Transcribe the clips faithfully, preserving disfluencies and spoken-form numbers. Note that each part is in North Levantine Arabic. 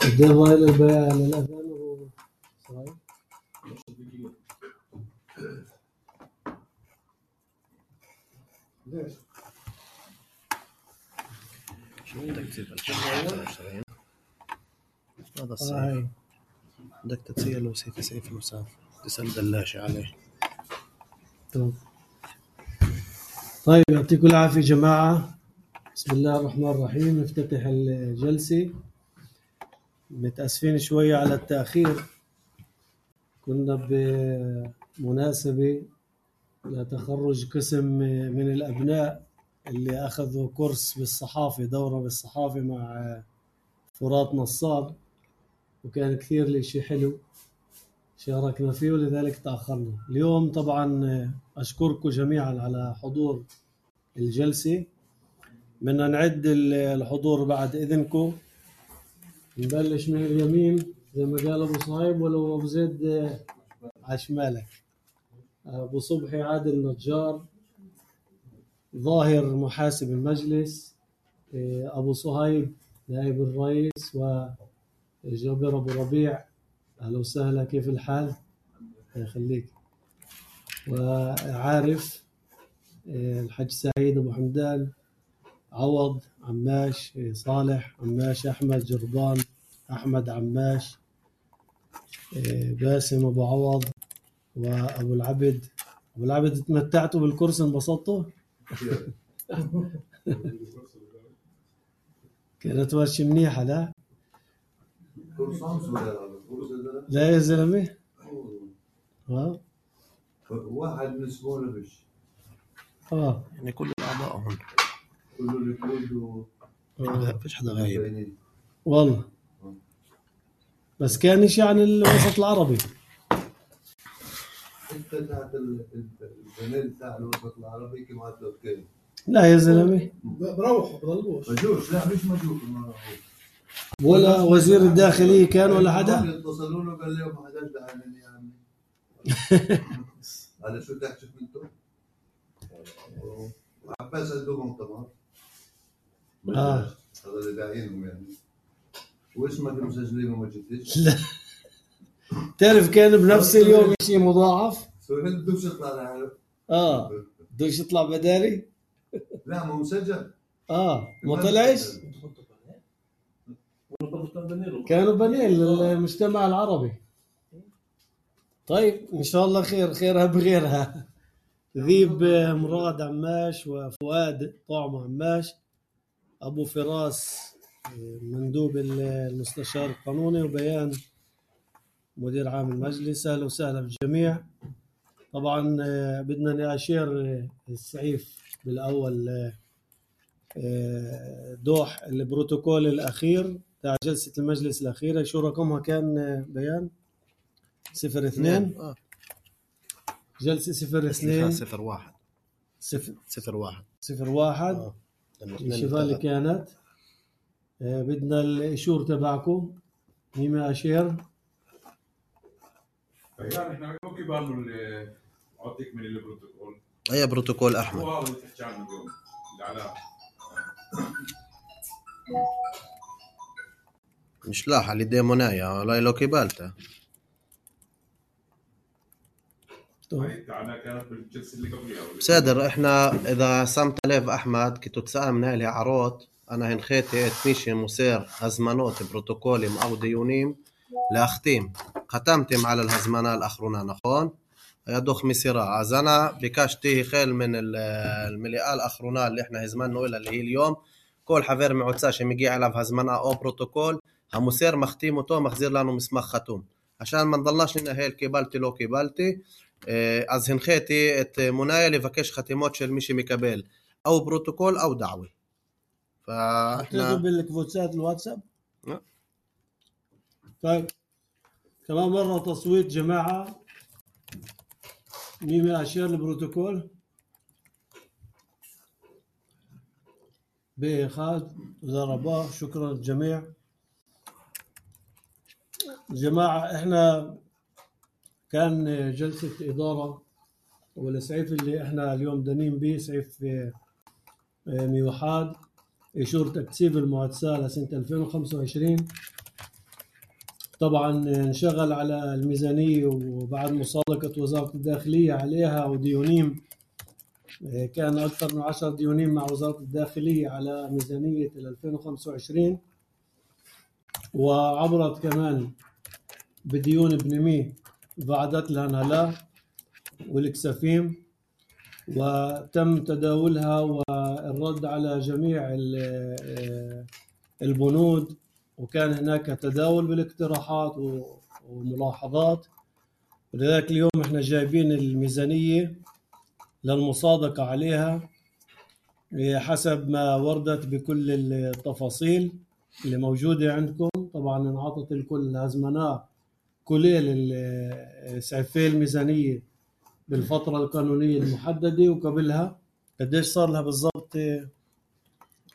قدام هاي البيع للأذان صحيح؟ ليش؟ شو بدك تسيب الشغل؟ هذا الصيف بدك تتسيل وسيف سيف المسافر تسأل دلاشة عليه. طيب يعطيكم العافية جماعة. بسم الله الرحمن الرحيم. نفتتح الجلسة. متأسفين شوية على التأخير، كنا بمناسبة لتخرج قسم من الأبناء اللي أخذوا كورس بالصحافة، دورة بالصحافة مع فرات نصار، وكان كثير الاشي حلو شاركنا فيه ولذلك تأخرنا. اليوم طبعا أشكركم جميعا على حضور الجلسة. بدنا نعد الحضور بعد إذنكم. نبلش من اليمين زي ما قال أبو صهيب، ولو أبو زيد عشمالك. أبو صبحي عادل نجار، ظاهر محاسب المجلس، أبو صهيب نائب الرئيس، وجابر أبو ربيع أهلا وسهلا كيف الحال؟ يخليك. وعارف الحج سعيد أبو حمدان، عوض عماش، صالح عماش، أحمد جربان، أحمد عماش، باسم أبو عوض، وأبو العبد. أبو العبد تمتعتوا بالكورس انبسطتوا؟ كانت ورشة منيحة لا؟ لا يا زلمة؟ ها؟ واحد من اسمه بش اه يعني كل الأعضاء هون كله اللي لا فيش حدا غايب والله. بس كان شيء عن الوسط العربي. انت تحت البنين تاع الوسط العربي كما تذكر. لا يا زلمه بروحوا بضلوش مجوش. لا مش مجوش ولا وزير الداخلية كان ولا حدا. اتصلوا له قال لهم ما حداش دعاني يا عمي. هذا شو بدك تشوف انتم؟ عباس عندهم طبعا. اه هذا اللي داعينهم يعني. واسمك مسجلين وما جبتش؟ لا تعرف كان بنفس اليوم شيء مضاعف. سهل بدوش يطلع لحاله. اه بدوش يطلع بدالي. لا ما مسجل. اه ما طلعش. كانوا بنين للمجتمع العربي. طيب ان شاء الله خير، خيرها بغيرها. ذيب مراد عماش، وفؤاد طعم عماش، ابو فراس مندوب المستشار القانوني، وبيان مدير عام المجلس. اهلا وسهلا بالجميع. طبعا بدنا نأشير السعيف بالاول دوح البروتوكول الاخير تاع جلسة المجلس الاخيرة. شو رقمها كان بيان؟ صفر اثنين آه. جلسة صفر اثنين صفر واحد صفر صفر واحد صفر واحد آه. الشغال اللي كانت. آه بدنا الإشور تبعكم. مين أشير؟ يعني احنا اوكي بالو اللي عطيك من البروتوكول. اي بروتوكول احمد؟ هو اللي تحكي عنه اليوم العلاء. مش لاحق اللي ديمونايا ولا لو كيبالته. كانت بالجلسه اللي قبلها. بصدر احنا اذا سمت ليف احمد كنتو تسأل من هاي عروض انا هنخيتي اتميشي مسير هزمانوت بروتوكولي او ديونيم لاختيم ختمتم على الهزمانة الاخرون نخون يدوخ مسيرا. از انا بكاشتي خيل من المليئة الاخرون اللي احنا هزمانو الى اللي هي اليوم كل حفير معوتساش ميجي على هزمانة او بروتوكول همسير مختيموتو مخزير لانو مسمخ ختوم عشان ما نضلناش لنا هي الكيبالتي لو كيبالتي. אז הנחיתי את מונאי לבקש חתימות של מי שמקבל או פרוטוקול או דעווה. حطيته بالكفوتسات الواتساب. طيب كمان مرة تصويت جماعة. مين أشير البروتوكول؟ بإخاذ ضرباه. شكرا للجميع. جماعة احنا كان جلسة إدارة والسعيف اللي احنا اليوم دانين به سعيف ميوحاد إشور تكتيب المعدسة لسنة ألفين وخمسة وعشرين. طبعا انشغل على الميزانية وبعد مصادقة وزارة الداخلية عليها وديونيم، كان أكثر من عشر ديونيم مع وزارة الداخلية على ميزانية ألفين وخمسة وعشرين، وعبرت كمان بديون بنمي بعدت لها نهلا والكسفيم، وتم تداولها والرد على جميع البنود، وكان هناك تداول بالاقتراحات وملاحظات. ولذلك اليوم احنا جايبين الميزانية للمصادقة عليها حسب ما وردت بكل التفاصيل اللي موجودة عندكم. طبعا انعطت الكل هزمناه كليل سعفي الميزانية بالفترة القانونية المحددة، وقبلها قديش صار لها بالضبط؟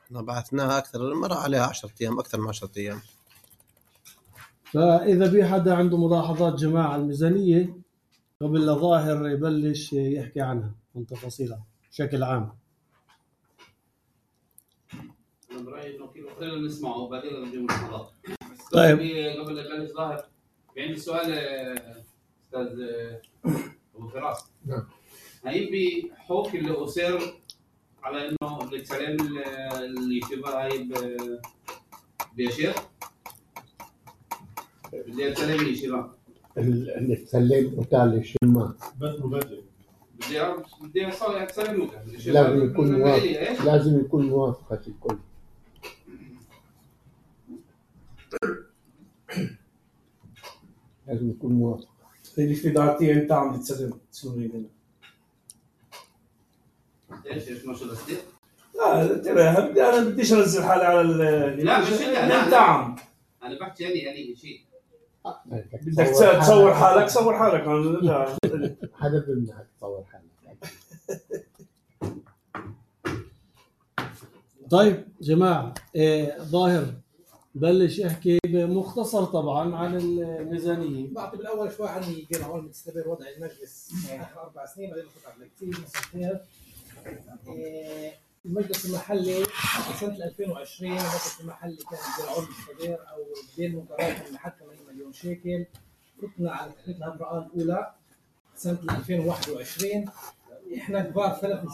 احنا بعثناها أكثر مرة عليها عشرة أيام، أكثر من عشرة أيام. فإذا في حدا عنده ملاحظات جماعة على الميزانية قبل لظاهر يبلش يحكي عنها من تفاصيلها بشكل عام. أنا برأيي إنه كيلو خلينا نسمعه وبعدين نجيب ملاحظات. طيب قبل لا يبلش ظاهر في عندي سؤال أستاذ أبو فراس. نعم. هاي بحكم اللي أصر على إنه السلام اللي شبه هاي بيشير بدي أتسلم لي شبه اللي تسلم وتعلي الشماء بس مبادئ. بدي بدي أصلي أتسلم له. لازم يكون موافق، لازم يكون موافقة الكل. لازم يكون موافق. اللي في دارتي أنت عم تتسلم تسلمي لنا. إيش إيش ما شو بصير؟ لا ترى أنا بديش أنزل حالي على ال. لا مش أنت. أنت عم. أنا بحكي يعني يعني شيء. بدك تصور حالك صور حالك. حدا بيمنعك تصور حالك. طيب جماعة إيه ظاهر بلش يحكي بمختصر طبعا عن الميزانية. بعطي بالاول شوي عن القرعون المستمر وضع المجلس اخر اربع سنين بعدين نفوت على كثير مسؤوليات. المجلس المحلي سنه ألفين وعشرين المجلس المحلي كان القرعون المستمر او الدين المتراكم لحد ثمانين مليون شيكل. فتنا على تحديد الهبرقه الاولى سنه ألفين وواحد وعشرين. احنا كبار ثلاث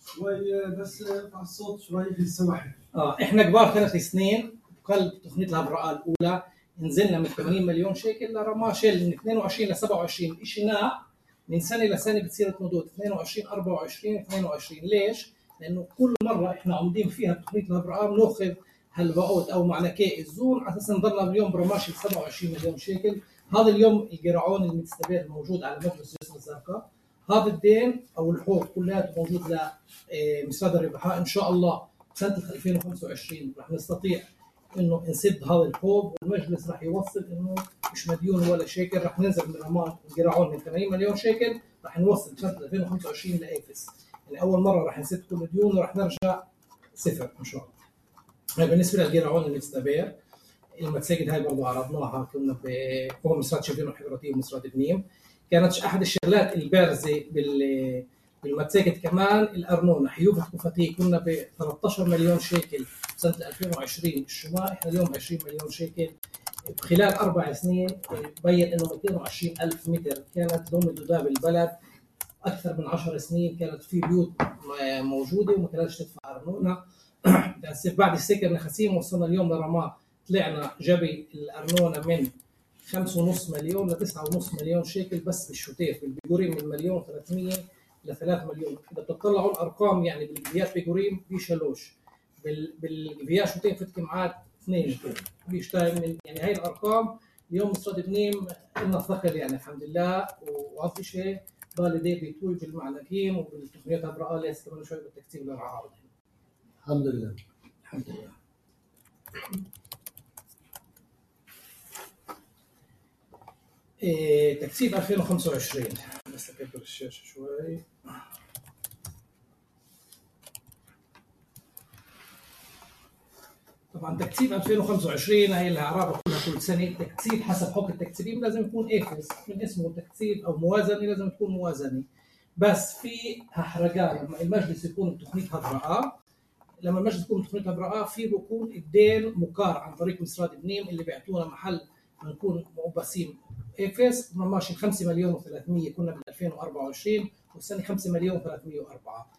شوي بس ارفع الصوت شوي في السماح. اه احنا كبار ثلاث سنين قلب تقنية الهبرقه الاولى نزلنا من ثمانين مليون شيكل لرماشل من اثنين وعشرين ل سبعة وعشرين. شيء ناع من سنه لسنه بتصير مدود اثنين وعشرين أربعة وعشرين اثنين وعشرين. ليش؟ لانه كل مره احنا عاملين فيها بتقنيه الهبرقه بناخذ هالبعوث او معنكي الزون على اساس نضلنا اليوم برماشل سبعة وعشرين مليون شيكل. هذا اليوم القرعون المستمر موجود على مجلس جسر الزرقاء. هذا الدين او الحوض كلياته موجود لمسراد الربحاء. ان شاء الله سنه ألفين وخمسة وعشرين رح نستطيع انه نسد هذا الحوض، والمجلس راح يوصل انه مش مديون ولا شيكل. راح ننزل من رماد القرعون من ثمانين مليون شيكل راح نوصل سنه ألفين وخمسة وعشرين لافس. يعني اول مره راح نسد كل الديون وراح نرجع صفر ان شاء الله. بالنسبه للقرعون المستبير المتساجد هاي برضه عرضناها كنا بقوم مسرات شبين وحضرتي ومسرات بنيم. كانت احد الشغلات البارزه بال بالمتساجد كمان الارنونه حيوفه كفتيه. كنا ب ثلاثة عشر مليون شيكل سنه ألفين وعشرين الشماء، احنا اليوم عشرين مليون شيكل. خلال اربع سنين بين انه مئتين وعشرين ألف متر كانت ضمن دولاب البلد. اكثر من عشر سنين كانت في بيوت موجوده وما كانتش تدفع ارنونه. بعد السكر نخسيم وصلنا اليوم لرماه طلعنا جبي الارنونه من خمسة ونص مليون ل تسعة ونص مليون شيكل بس بالشتيف. بالبيجوريم من مليون وثلاثمية ل ثلاثة مليون. اذا بتطلعوا الارقام يعني بالجفيات بيجوريم بيشلوش بالجفيات شتيف فتكمعات اثنين بيشتاي من يعني هاي الارقام. اليوم مصرد بنيم لنا ثقل يعني الحمد لله. وهذا شيء بالدي بيتوج بالمعنكيم وبالتقنيات هبرقه لسه كمان شوي بالتكتيب للعارض. الحمد لله الحمد لله. إيه تكتيب ألفين وخمسة وعشرين بس اكبر الشاشه شوي. طبعا تكتيب ألفين وخمسة وعشرين هي اللي اعرابها كلها كل سنه. تكتيب حسب حكم التكتيبين لازم يكون افس من اسمه تكتيب او موازنه لازم تكون موازنه. بس في حرقان لما المجلس يكون بتقنيه هبرقه لما المجلس يكون بتقنيه هبرقه في بكون الدين مقار عن طريق مسراد بنيم اللي بيعطونا محل نكون مؤبسين افس ماشي خمسة مليون وثلاثمية كنا بال ألفين وأربعة وعشرين والسنه خمسة مليون وثلاثمية وأربعة.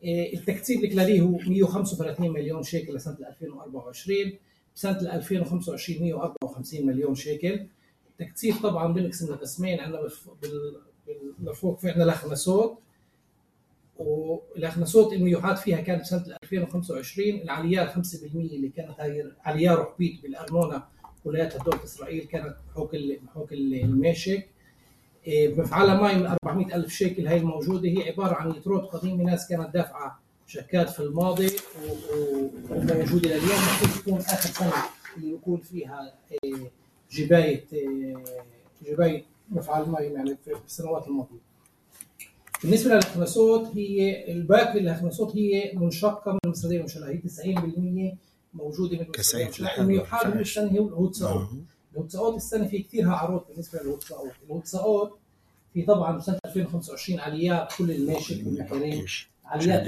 التكتيب الإجمالي هو مية وخمسة وثلاثين مليون شيكل لسنه ألفين وأربعة وعشرين، بسنه ألفين وخمسة وعشرين مية وأربعة وخمسين مليون شيكل. التكتيب طبعا بنقسم لقسمين، عندنا بالمرفوق في عندنا الاخنسوت، والاخنسوت الميوحات فيها كانت سنه ألفين وخمسة وعشرين العليار خمسة بالمية اللي كانت هاي عليار وحبيت بالارنونه ولايات دولة اسرائيل كانت بحوك بحوك الماشك. بمفعلها ماي من أربعمية ألف شيكل هاي الموجوده، هي عباره عن يتروت قديمه ناس كانت دافعه شكات في الماضي وموجوده لليوم، المفروض تكون اخر سنه اللي يكون فيها جبايه جبايه مفعل ماي يعني في السنوات الماضيه. بالنسبه للاخنسوت هي الباقي الاخنسوت هي منشقه من المصدريه المنشله، هي تسعين بالمية موجوده من المصدريه المنشله. الميوحات السنه هي الهوتساوت. الهوتساوت السنه في كثيرها عروض بالنسبه للهوتساوت. الهوتساوت في طبعا سنه ألفين وخمسة وعشرين عليات كل الماشي والبحرين عليات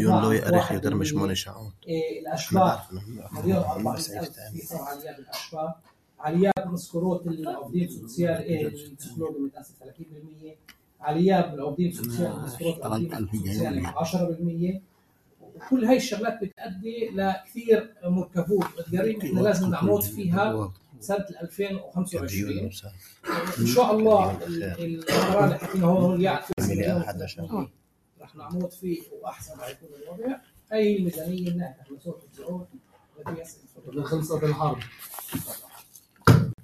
واحد الاشباح مليون وأربعمية ألف في طبعا عليات الاشباح، عليات مسكروت العقدين سوسيال السكلوج متاسف ثلاثين بالمية، عليات بالعقدين سوسيال مسكروت العقدين سوسيال عشرة بالمية. وكل هاي الشغلات بتؤدي لكثير مركبات وتجارب احنا لازم نعمود فيها سنه ألفين وخمسة وعشرين ان شاء الله. القرار اللي حكينا هون اللي يعطي رح نعمود فيه واحسن رح يكون الوضع. هي الميزانيه اللي احنا صوت الزعوم خلصت الحرب.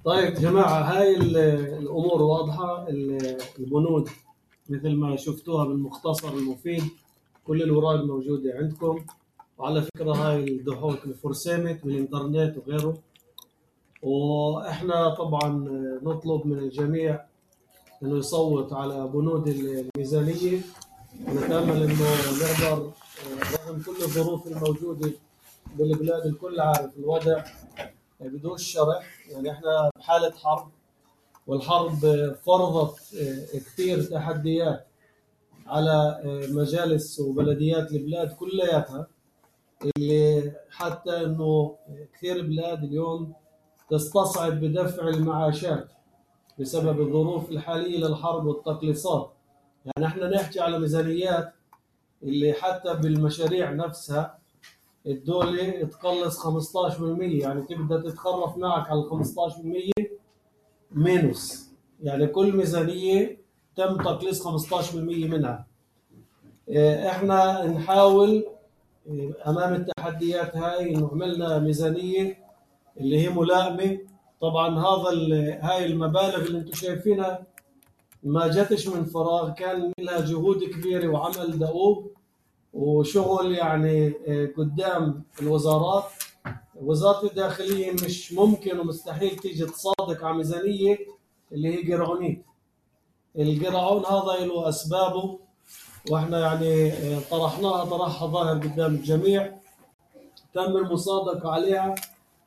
طيب جماعه هاي الامور واضحه. البنود مثل ما شفتوها بالمختصر المفيد، كل الوراق موجوده عندكم، وعلى فكره هاي الدحوك مفرسمت بالانترنت وغيره. واحنا طبعا نطلب من الجميع انه يصوت على بنود الميزانيه، ونتامل انه نقدر رغم كل الظروف الموجوده بالبلاد الكل عارف الوضع بدون شرح، يعني احنا بحاله حرب، والحرب فرضت كثير تحديات على مجالس وبلديات البلاد كلياتها، اللي حتى انه كثير بلاد اليوم تستصعب بدفع المعاشات بسبب الظروف الحاليه للحرب والتقليصات. يعني احنا نحكي على ميزانيات اللي حتى بالمشاريع نفسها الدولة تقلص خمسة عشر بالمية، يعني تبدا تتخرف معك على خمسة عشر بالمية مينوس، يعني كل ميزانية تم تقليص خمسة عشر بالمية منها. احنا نحاول امام التحديات هاي انه عملنا ميزانية اللي هي ملائمة. طبعا هذا هاي المبالغ اللي انتم شايفينها ما جاتش من فراغ، كان لها جهود كبيرة وعمل دؤوب وشغل يعني قدام الوزارات. وزارة الداخلية مش ممكن ومستحيل تيجي تصادق على ميزانية اللي هي قرعونية. القرعون هذا له أسبابه، واحنا يعني طرحناها طرحها ظاهر قدام الجميع، تم المصادقة عليها.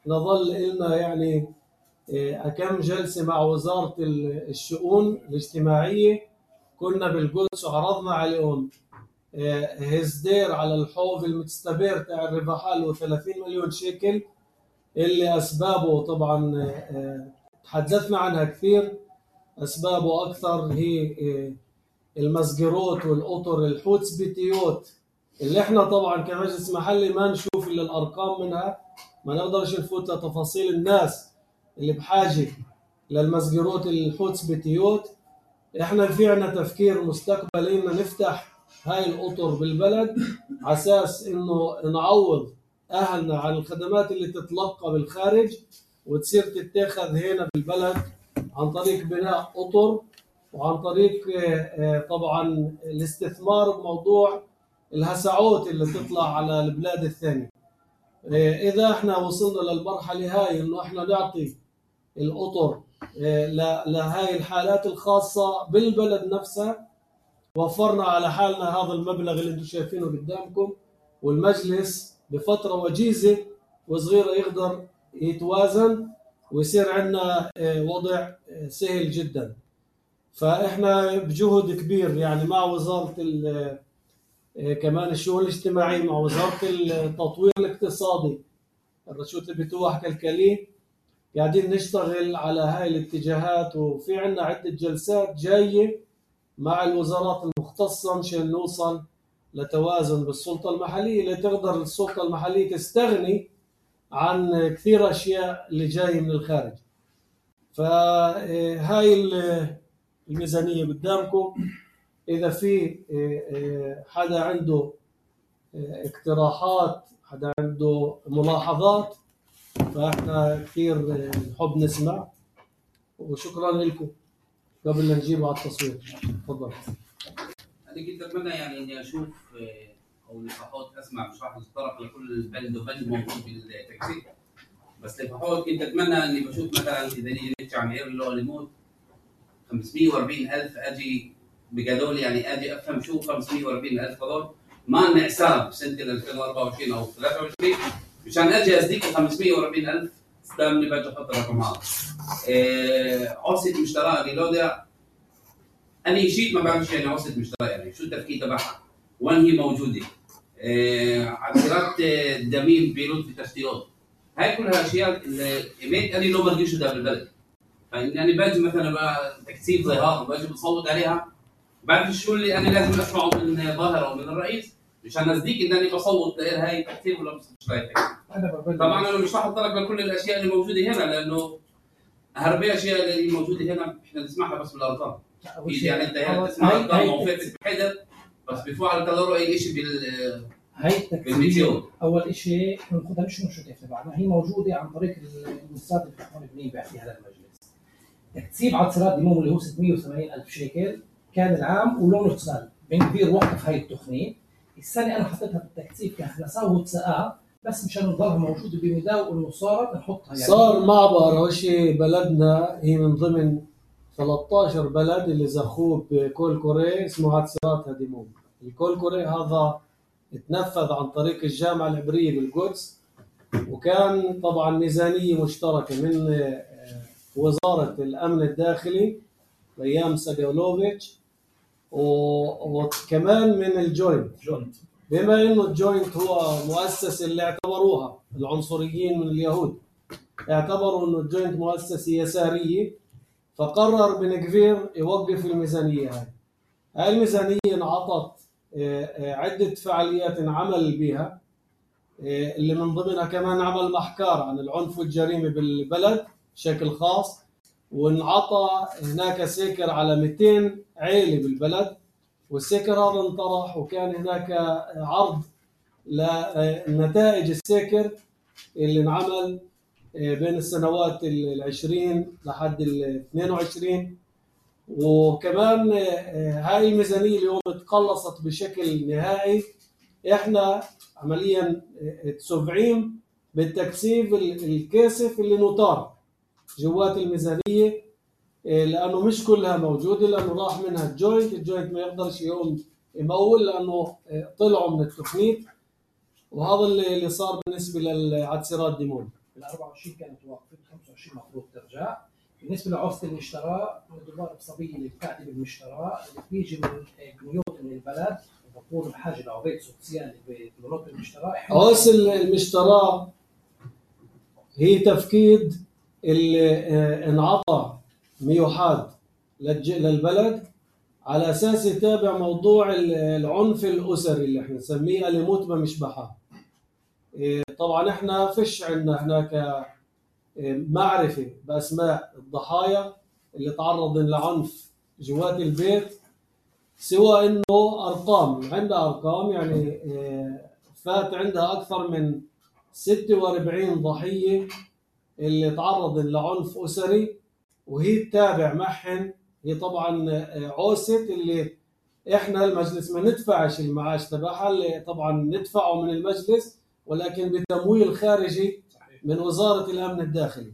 نظل لنا يعني كم جلسة مع وزارة الشؤون الاجتماعية، كنا بالقدس وعرضنا عليهم هزدير على الحوض المتستبير تاع الرباحال وثلاثين مليون شيكل، اللي أسبابه طبعا تحدثنا عنها كثير. أسبابه أكثر هي المسجروت والأطر الحوتسبيتيوت، اللي احنا طبعا كمجلس محلي ما نشوف إلا الأرقام منها، ما نقدرش نفوت لتفاصيل الناس اللي بحاجة للمسجروت الحوتسبيتيوت. احنا في عنا تفكير مستقبلي إننا نفتح هاي الأطر بالبلد على أساس إنه نعوض أهلنا عن الخدمات اللي تتلقى بالخارج وتصير تتاخذ هنا بالبلد عن طريق بناء أطر، وعن طريق طبعا الاستثمار بموضوع الهسعوت اللي تطلع على البلاد الثانية. إذا احنا وصلنا للمرحلة هاي إنه احنا نعطي الأطر لهاي الحالات الخاصة بالبلد نفسها، وفرنا على حالنا هذا المبلغ اللي انتم شايفينه قدامكم، والمجلس بفترة وجيزة وصغيرة يقدر يتوازن ويصير عندنا وضع سهل جدا. فإحنا بجهد كبير يعني مع وزارة كمان الشؤون الاجتماعية، مع وزارة التطوير الاقتصادي الرشوت البتوح كالكالي، قاعدين نشتغل على هاي الاتجاهات، وفي عنا عدة جلسات جاية مع الوزارات المختصة مشان نوصل لتوازن بالسلطة المحلية اللي تقدر السلطة المحلية تستغني عن كثير أشياء اللي جاية من الخارج. فهاي الميزانية قدامكم. إذا في حدا عنده اقتراحات، حدا عنده ملاحظات، فإحنا كثير نحب نسمع. وشكرا لكم. قبل لا نجيب على التصوير، تفضل. أنا كنت أتمنى يعني إني أشوف أو لفحوت أسمع مش راح نتطرق لكل بند وبند موجود بالتكثيف، بس لفحوت كنت أتمنى إني بشوف مثلا إذا نيجي نحكي عن عير اللي هو الموت خمسمية وأربعين ألف، أجي بقدول يعني أجي أفهم شو خمسمية وأربعين ألف هذول ما لنا حساب بسنة ألفين وأربعة وعشرين أو ثلاثة وعشرين مشان أجي أزديك خمسمية وأربعين ألف استلمني بجي أحط الرقمات. عصية مشترى اللي لو ده أنا شيء ما بعرفش يعني عصية مشترى يعني شو التفكير تبعها وين هي موجودة. عصيرات دمين بيروت في تشتيات، هاي كلها أشياء اللي إيميت أنا لو ما رجيش ده بالبلد. فإني باجي مثلا تكثيف زي هذا باجي بصوت عليها بعرف شو اللي أنا لازم أسمعه من ظاهر أو من الرئيس مشان أصدق إن أنا بصوت لها هاي تكثيف ولا مش رايح. طبعا أنا مش راح أتطرق لكل الأشياء اللي موجودة هنا لأنه هربي أشياء اللي موجودة هنا إحنا نسمعها بس بالأرقام. يعني أنت هنا تسمع أرقام وفاتت بحدر بس بيفوق على تطلعوا أي شيء بال هاي التكثيف. أول شيء ناخذها مش مشروع تبعنا، هي موجودة عن طريق المؤسسات اللي بتكون بنيبع في هذا المجلس. تكثيف عصيرات دموم اللي هو ستمية وثمانين ألف شيكل كان العام ولونه سال بن كبير وقف هاي التقنية. السنة أنا حطيتها بالتكثيف كخلاصة وتسقى بس مشان نضلها موجودة بمداو إنه صارت نحطها يعني. صار معبر هو شيء بلدنا هي من ضمن ثلاثة عشر بلد اللي زخوه بكول كوري اسمه عصيرات دموم. الكول كوري هذا تنفذ عن طريق الجامعة العبرية بالقدس، وكان طبعا ميزانية مشتركة من وزارة الأمن الداخلي أيام ساجولوفيتش وكمان من الجوينت. بما إنه الجوينت هو مؤسسة اللي اعتبروها العنصريين من اليهود، اعتبروا إنه الجوينت مؤسسة يسارية، فقرر بن كبير يوقف الميزانية هاي. هاي الميزانية انعطت عدة فعاليات عمل بها اللي من ضمنها كمان عمل محكار عن العنف والجريمة بالبلد بشكل خاص، وانعطى هناك سيكر على مئتين عائلة بالبلد، والسيكر هذا انطرح وكان هناك عرض لنتائج السيكر اللي انعمل بين السنوات العشرين لحد الاثنين وعشرين. وكمان هاي الميزانية اليوم تقلصت بشكل نهائي. احنا عمليا تسبعين بالتكثيف الكاسف اللي نطار جوات الميزانية، لأنه مش كلها موجودة لأنه راح منها الجوينت. الجوينت ما يقدرش يوم يمول لأنه طلعوا من التخنيت، وهذا اللي صار بالنسبة للعصيرات دموم. ال أربعة وعشرين كانت واقفة، خمسة وعشرين مفروض ترجع. بالنسبة لعصة المشترى الدولار الصبية اللي بتاعتي بالمشترى اللي بيجي من بنيوت من البلد وبكون بحاجة لعبيد سوسيالي بمناطق المشترى. عصة المشترى هي تفكيد اللي انعطى ميوحاد للبلد على أساس يتابع موضوع العنف الأسري اللي احنا نسميه أليموت بمشبحة. طبعا احنا فيش عندنا هناك معرفة بأسماء الضحايا اللي تعرضوا لعنف جوات البيت، سوى انه ارقام عندها ارقام يعني فات عندها اكثر من ستة وأربعين ضحية اللي تعرضوا لعنف أسري، وهي تتابع معهن. هي طبعا عوسة اللي احنا المجلس ما ندفعش المعاش تبعها، اللي طبعا ندفعه من المجلس ولكن بتمويل خارجي من وزارة الأمن الداخلي.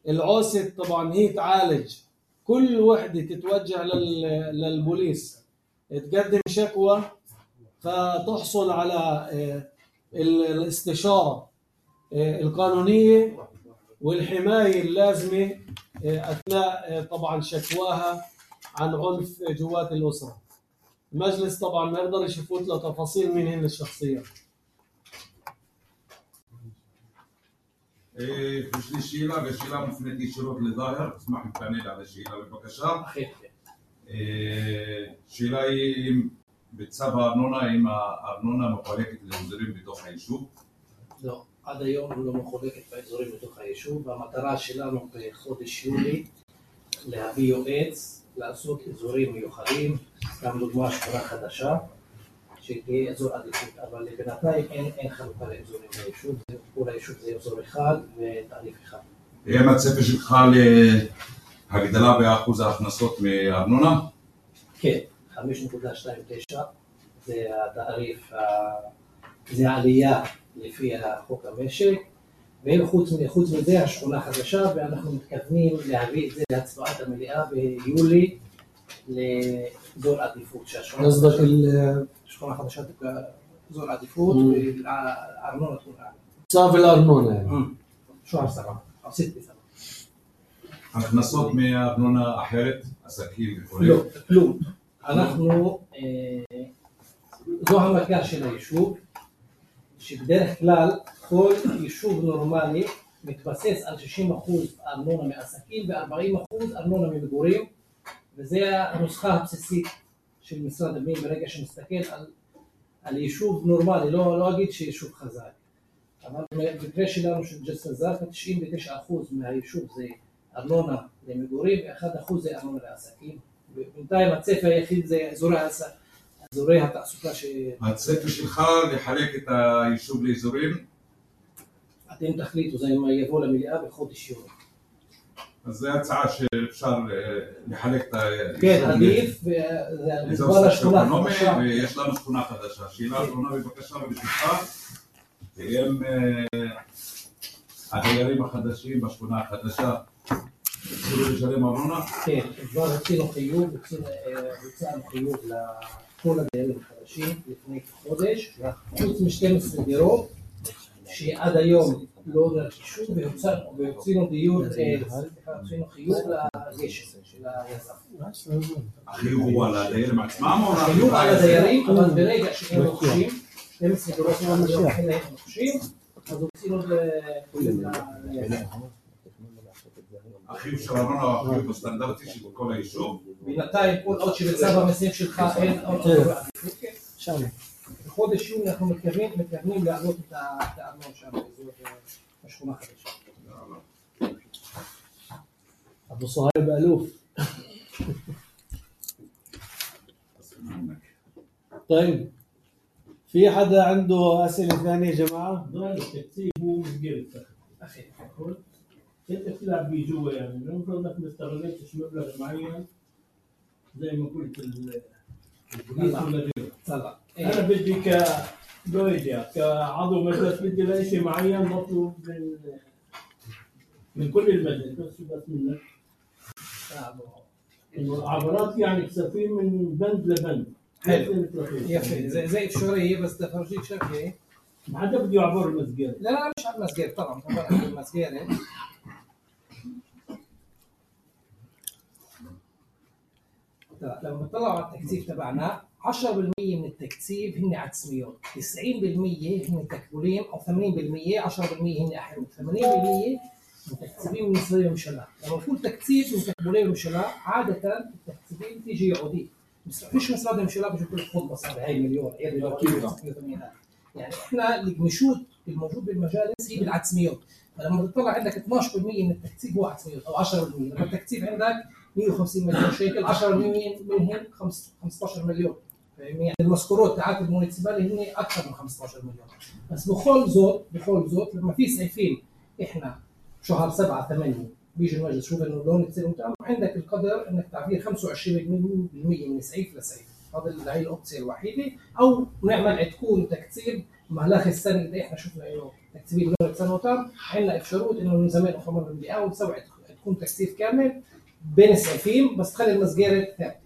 العوسة طبعا هي تعالج كل وحدة تتوجه للبوليس تقدم شكوى فتحصل على الاستشارة القانونية والحماية اللازمة أثناء طبعا شكواها عن عنف جوات الأسرة. المجلس طبعا ما يقدر يفوت له تفاصيل من هن الشخصيات. إيه مش الشيلة الشيلة ممكن الشروط اللي ظاهر اسمح لي تعمل على الشيلة بالبكشة. خير إيه شيلة بتسابها أرنونا إما أرنونا مخالكة الإنذارين בתוך היישוב. לא, עד היום לא מחולקת באזורים בתוך היישוב, והמטרה שלנו בחודש יולי להביא יועץ, לעשות אזורים מיוחדים, גם דוגמה שכונה חדשה, שתהיה אזור עדיפות, אבל בינתיים אין, אין חלוקה לאזורים ביישוב, כל היישוב זה אזור אחד ותעריף אחד. מה הצפי שלך להגדלה באחוז ההכנסות מארנונה? כן, חמש נקודה שתיים תשע זה התעריף, זה העלייה לפי החוק המשק, וחוץ חוץ מזה השכונה חדשה, ואנחנו מתכוונים להביא את זה להצבעת המליאה ביולי לאזור עדיפות. قصدك השכונה חדשה תקרא אזור עדיפות והארנונה תקרא. צו الأرنونة يعني. שוער סבבה, עשית בסבבה. הכנסות מארנונה אחרת, עסקים וכו'? לא, כלום. אנחנו, זו המכה של היישוב, שבדרך כלל כל יישוב נורמלי מתבסס על שישים אחוז ארנונה מעסקים ו-ארבעים אחוז ארנונה ממגורים, וזה הנוסחה הבסיסית של משרד הפנים ברגע שמסתכל על, על יישוב נורמלי, לא, לא אגיד שיישוב חזק. אבל במקרה שלנו של ג'סר א-זרקא, תשעים ותשעה אחוז מהיישוב זה ארנונה למגורים, ו-אחד אחוז זה ארנונה לעסקים. ובינתיים הצפי היחיד זה אזורי העסק. אזורי התעסוקה ש... הצפי שלך לחלק את היישוב לאזורים? אתם תחליטו, זה יבוא למליאה בחודש יוני. אז זו הצעה שאפשר לחלק את היישוב. כן, עדיף, וזה כבר השכונה חדשה. ויש לנו שכונה חדשה. שאלה אחרונה בבקשה ובשבילך, הם הדיירים החדשים בשכונה החדשה, התחילו לשלם ארנונה? כן, כבר הוצאנו חיוב, הוצאנו חיוב לכל הדיירים החדשים לפני כחודש, חוץ מ-שתים עשרה דירות שעד היום לא נרכשו, והוצאנו דיור, הוצאנו חיוב לגשם של היזם. החיוב הוא על הדיירים עצמם? החיוב על הדיירים, אבל ברגע שהם רוכשים, שתים עשרה דירות שעד היום הם רוכשים, אז הוצאנו ליזם. החיוב של ארנונה הוא החיוב הסטנדרטי של כל היישוב. בינתיים כל עוד שבצו המסים שלך אין עוד אזור עדיפות, כן? בחודש יוני אנחנו מתכוונים להעלות את הארנונה שם באזור השכונה החדשה. أبو صهيب ألوف. طيب في حدا عنده أسئلة ثانية يا جماعة؟ ضل التكتيب هو مسجل أخي انت بتلعب بيه جوا يعني المفروض انك ما استغلتش مبلغ معين زي ما قلت البوليس ولا غيره. طلع انا بدي كدويجا كعضو مجلس بدي لاقي شيء معين مطلوب من من كل المجلس بس بس منك عبارات يعني كسفين من بند لبند. حلو يفي زي زي افشاريه بس تفرجيك شكل ما حدا بده يعبر المسجد. لا لا مش على المسجد طبعا طبعا المسجد لما طلعوا على التكثيف تبعنا عشرة بالمية من التكثيف هن عدسميات، تسعين بالمية هن تكبولين او ثمانين بالمية، عشرة بالمية هن احرام، ثمانين بالمية متكثفين من نسبة المشلاء. لما نقول تكثيف من تكبولين المشلاء عادة التكثيفين تيجي عودية. بس فيش مسألة المشلاء بيجي كل خطبة صار هاي مليون، هي مليون. يعني احنا الجمشود الموجود بالمجالس هي بالعدسميات. فلما تطلع عندك اثناشر بالمية من التكثيف هو عدسميات او عشرة بالمية، لما التكثيف عندك مية وخمسين مليون شيكل، عشرة بالمية منهم خمسة عشر مليون. يعني المذكورات تاعت المونيسيبالي هن اكثر من خمسة عشر مليون. بس بخول زوت بخول زوت لما في سعيفين احنا شهر سبعة ثمانية بيجي المجلس شوف انه لون تصير متعب، عندك القدر انك تعبير خمسة وعشرين بالمية من سعيف لسعيف. هذا هي الاوبشن الوحيده، او نعمل عتكون تكثير مهلاخ السنه اللي احنا شفنا له تكثير لون سنه وتام، عندنا افشروت انه من زمان اخمر بالمئة ونسوي تكون تكثيف كامل بين السعيفين بس تخلي المسجره ثابته.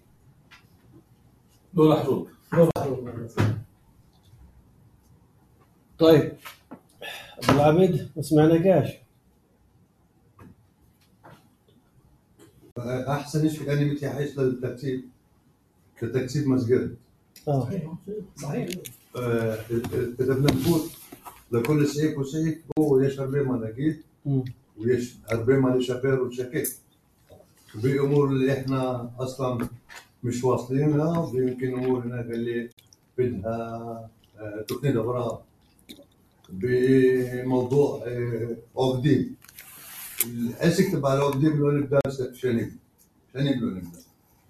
دول حروب دول حروب. طيب ابو العبد ما سمعناكاش. احسن شيء اني متيحيش للتكثيف كتكثيف مسجد. اه صحيح. اذا بدنا نفوت لكل سيف وسيف هو يشرب لي مناقيد ويش הרבה מה לשפר ולשקף. بأمور اللي احنا اصلا مش واصلينها، ويمكن امور هناك اللي بدها تقنية أغراض. بموضوع عقدين، العسك تبع العقدين بدنا نبدا شنو نبدا؟ شنو نبدا نبدا؟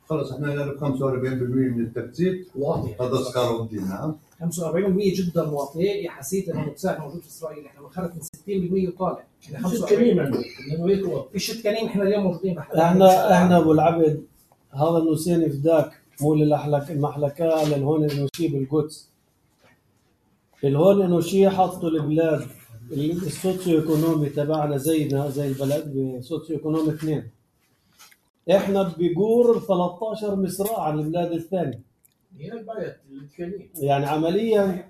خلص احنا نعرف خمسة وأربعين بالمئة من التكتيب واطي. هذا اسكار عقدين. نعم خمسة وأربعين بالمئة جدا واطي. حسيت انه المتساعد موجود في اسرائيل احنا بنخرج من ستين بالمئة وطالع. احنا خمسة وأربعين بالمئة في الشتكانين احنا اليوم موجودين. احنا احنا ابو العبد هذا النسيني فداك مو للأحلك المحلكة للهون النوشي بالقدس. الهون النوشي حطوا البلاد السوسيو ايكونومي تبعنا زينا زي البلد بسوسيو ايكونومي اثنين. احنا بيقور ثلاثة عشر مصراع عن البلاد الثانية. هي البلد اللي يعني عمليا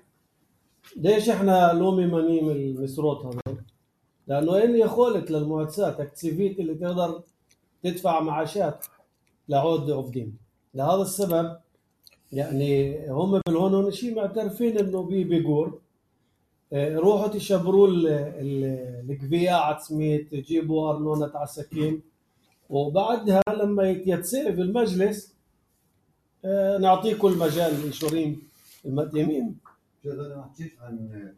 ليش احنا لومي منيم المسروط هذول؟ لانه هن يخولت للمؤسسات تكتيفيت اللي تقدر تدفع معاشات لعود عفدين. لهذا السبب يعني هم بالهون شيء معترفين انه بي بيقور. روحوا تشبروا القبيعة عتسميت تجيبوا أرنونة عساكين، وبعدها لما يتسأل في المجلس نعطيكم المجال المنشورين المقدمين. شيخ انا ما احكيش عن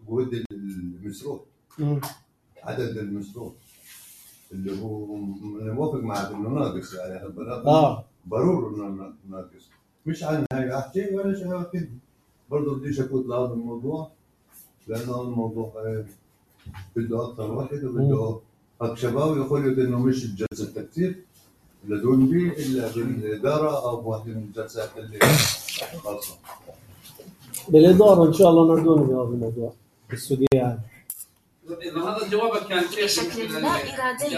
جهود المسروق، عدد المسروق اللي هو انا موافق معك انه ناقص، يعني اه ضروري انه ناقص، مش عن هاي احكي ولا شيء كده. برضه بديش اكون لهذا الموضوع لانه الموضوع بده اكثر واحد وبده هيك شباب يقولوا انه مش الجلسه تكتير لدون بي الا بالاداره او بواحد من الجلسات اللي خاصه بالاداره. ان شاء الله ندون بهذا الموضوع السوديان. اذا هذا جوابك كان بشكل لا ارادي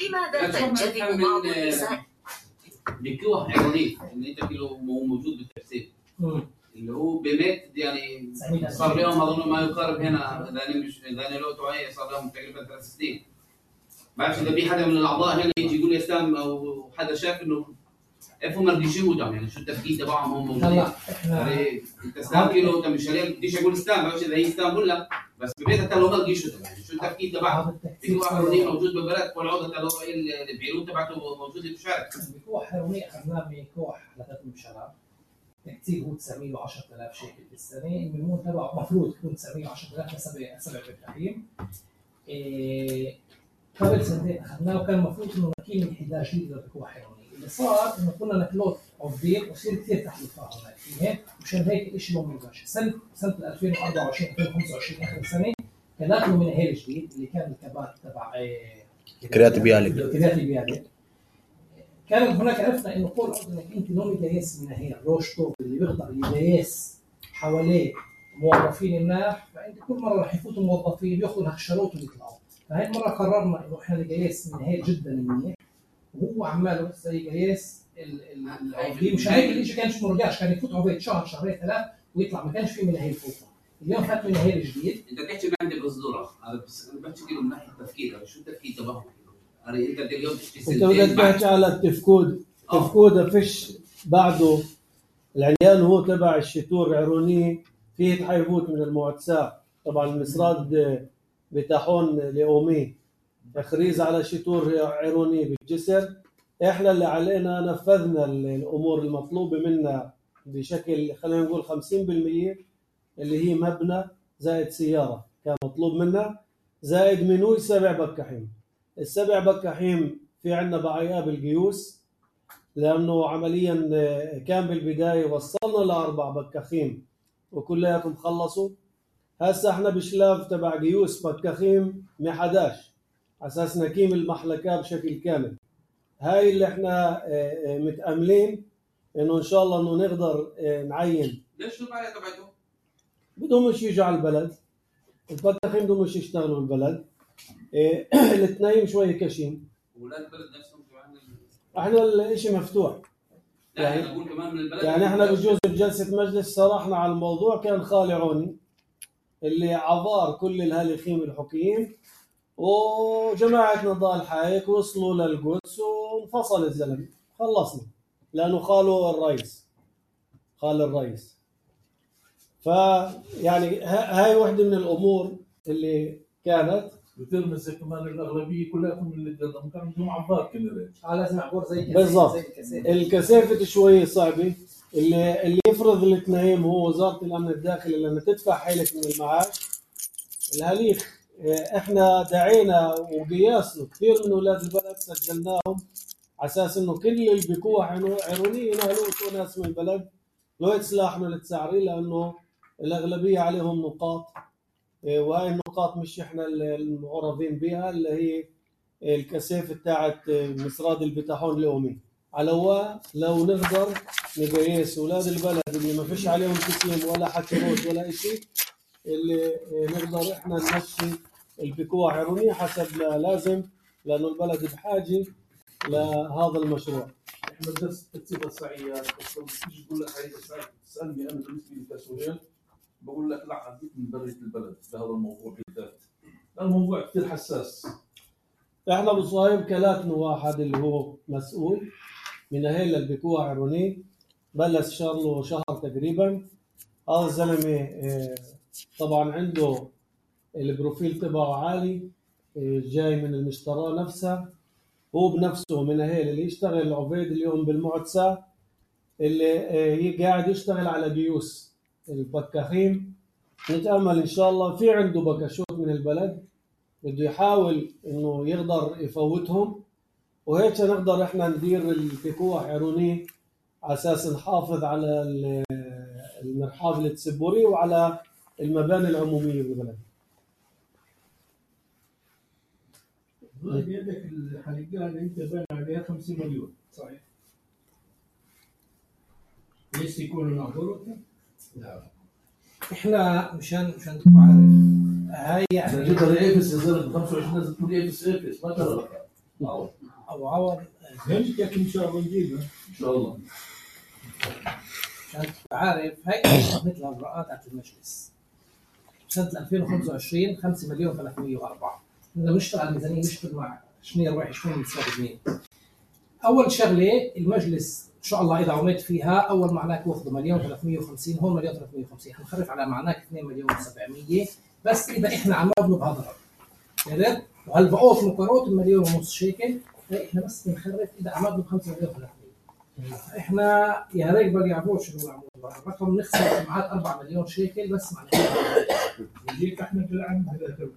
لماذا تنجذب بعض النساء بكوه حيواني اللي انت كيلو موجود بالتفسير اللي هو بميت يعني صار لهم اظن ما يقارب هنا اذا مش اذا لو توعيه صار لهم تقريبا ثلاث سنين. بعرفش اذا في حدا من الاعضاء هنا يجي يقول يا اسلام او حدا شاف انه افهم ما بديش يقولوا يعني شو التفكير تبعهم هم موجودين. لا احنا انت اسلام كيلو انت مش عليه بديش اقول اسلام بعرفش اذا هي اسلام ولا بس ببيتها لو ما لقيش يعني شو التفكير تبعهم. في واحد موجود بالبلد والعوده تبعه البيروت تبعته موجوده في الشارع. بكوح حيواني اخذناه بكوح لثلاث مشاريع. التكتيب هو تسعمية وعشرة آلاف شيكل في السنه. الملمون تبعه المفروض يكون تسعمية وعشرة آلاف لسبع سبع بالتحريم. إيه قبل سنتين اخذناه وكان المفروض انه نكيل انحدار جديد للبكوح حيواني. اللي صار انه كنا نكلوت عفدين وصير كثير تحليفات هناك فيه ومشان هيك الشيء مو مباشر. سنه سنه ألفين وأربعة وعشرين ألفين وخمسة وعشرين اخر السنه كان ناكلوا من هيل جديد اللي كان الكبات تبع إيه كريات بيالك كريات بيالك. كان هناك عرفنا انه كل عضو انك انت لو مجيس من هي روشتو اللي بيقدر يجيس حواليه موظفين مناح، فانت كل مره راح يفوتوا الموظفين ياخذوا هالشروط ويطلعوا. فهي المره قررنا انه احنا نجيس من هي جدا منيح وهو عماله بس يجيس العضوين. مش هيك الشيء كانش مرجعش، كان يفوت عبيد شهر شهرين ثلاث ويطلع، ما كانش في من هي الفوطه. اليوم فات من هي الجديد. انت بتحكي ما عندي بصدوره هذا بس انا بحكي من ناحيه التفكير شو التفكير تبعهم. انت اليوم انت بدك تحكي على التفكود. التفكود فيش بعده العيان هو تبع الشتور عروني فيه تحيفوت من المعتساء. طبعا المسراد بتاحون لأومي تخريز على شتور عروني بالجسر. احنا اللي علينا نفذنا الامور المطلوبه منا بشكل خلينا نقول خمسين بالمئة اللي هي مبنى زائد سياره كان مطلوب منا زائد منوي سبع بكاحين. السبع بكاحين في عندنا بعياه بالقيوس لانه عمليا كان بالبدايه وصلنا لاربع بكاخين وكلياتهم خلصوا. هسه احنا بشلاف تبع قيوس بكاخين من أحد عشر اساس نكيم المحلكه بشكل كامل. هاي اللي احنا متاملين انه ان شاء الله انه نقدر نعين. ليش شو البعية تبعتهم؟ بدهم مش يجوا على البلد، البكاخين بدهم مش يشتغلوا بالبلد. الاثنين شوي كشين. ولاد البلد نفسهم كمان احنا الاشي مفتوح. يعني انا اقول كمان من البلد يعني احنا بجوز بجلسه مجلس صرحنا على الموضوع. كان خالي عوني اللي عبار كل الهالخيم الحكيين وجماعه نضال حايك وصلوا للقدس وانفصل الزلمه خلصنا لانه خاله الرئيس خال الرئيس. فيعني هاي واحده من الامور اللي كانت بترمز كمان الاغلبيه كلياتهم اللي قدام كان عندهم عبار كنريج. اه لازم عبور زي كاسيف. بالضبط. زي الكاسيف. الكثافه شوي صعبه. اللي اللي يفرض التنايم هو وزاره الامن الداخلي لما تدفع حالك من المعاش. الهليخ احنا دعينا وقياسنا كثير من اولاد البلد سجلناهم على اساس انه كل اللي بيكون عيرونيه ينهلوا ناس من البلد لو يتسلاحنوا للتسعري لانه الاغلبيه عليهم نقاط، وهي النقاط مش احنا المعرضين بها اللي هي الكثافه تاعت مسراد البتاحون اليومي. على هو لو نقدر نقيس اولاد البلد اللي ما فيش عليهم تسليم ولا حكي روت ولا شيء اللي نقدر احنا نمشي البكوع عيرونيه حسب ما لازم لانه البلد بحاجه لهذا المشروع. احنا درس التنسيق الصعيات اصلا بتيجي تقول لك هاي تسالني انا بالنسبه لي كسوريان بقول لك لا عديت من بريه البلد بهذا الموضوع بالذات. الموضوع كثير حساس. احنا بصايب كلاتنا واحد اللي هو مسؤول من اهل البكوع عيرونيه بلش صار له شهر تقريبا. هذا الزلمه طبعا عنده البروفيل تبعه عالي جاي من المشترى نفسها. هو بنفسه من اهل اللي يشتغل عبيد اليوم بالمعتسى اللي قاعد يشتغل على جيوس البكاخين. نتامل ان شاء الله في عنده بكاشوت من البلد بده يحاول انه يقدر يفوتهم وهيك نقدر احنا ندير البكوع عيرونيه على اساس نحافظ على المرحاض التسبوري وعلى المباني العموميه بالبلد. بيدك الحلقه اللي انت بان عليها خمسين مليون صحيح؟ ليش يكونوا نعبروا؟ لا احنا مشان مشان تبقوا عارف هاي يعني جبت الايفس يصير ب خمسة وعشرين لازم تقول ايفس ايفس ما ترى ابو عوض فهمتك ان شاء الله نجيبها ان شاء الله. مشان تبقوا عارف هاي مثل الاجراءات تاعت المجلس سنه ألفين وخمسة وعشرين خمسة مليون ثلاثمية وأربعة. بدنا نشتغل على الميزانيه نشتغل مع شنو رايح شنو مستفيدين. اول شغله المجلس ان شاء الله اذا عملت فيها اول معناك واخذ مليون ثلاثمية وخمسين هون مليون ثلاثمية وخمسين حنخرف على معناك اثنين مليون وسبعمية بس اذا احنا عم نطلب هذا الرقم عرفت؟ وهالبقوط مقارنه بمليون ونص شيكل احنا بس بنخرف اذا عم نطلب خمسة مليون ثلاثمية. احنا يا ريت بقى يعرفوا شنو العمود الرقم نخسر معاد أربعة مليون شيكل بس معناته يجيك احمد بالعم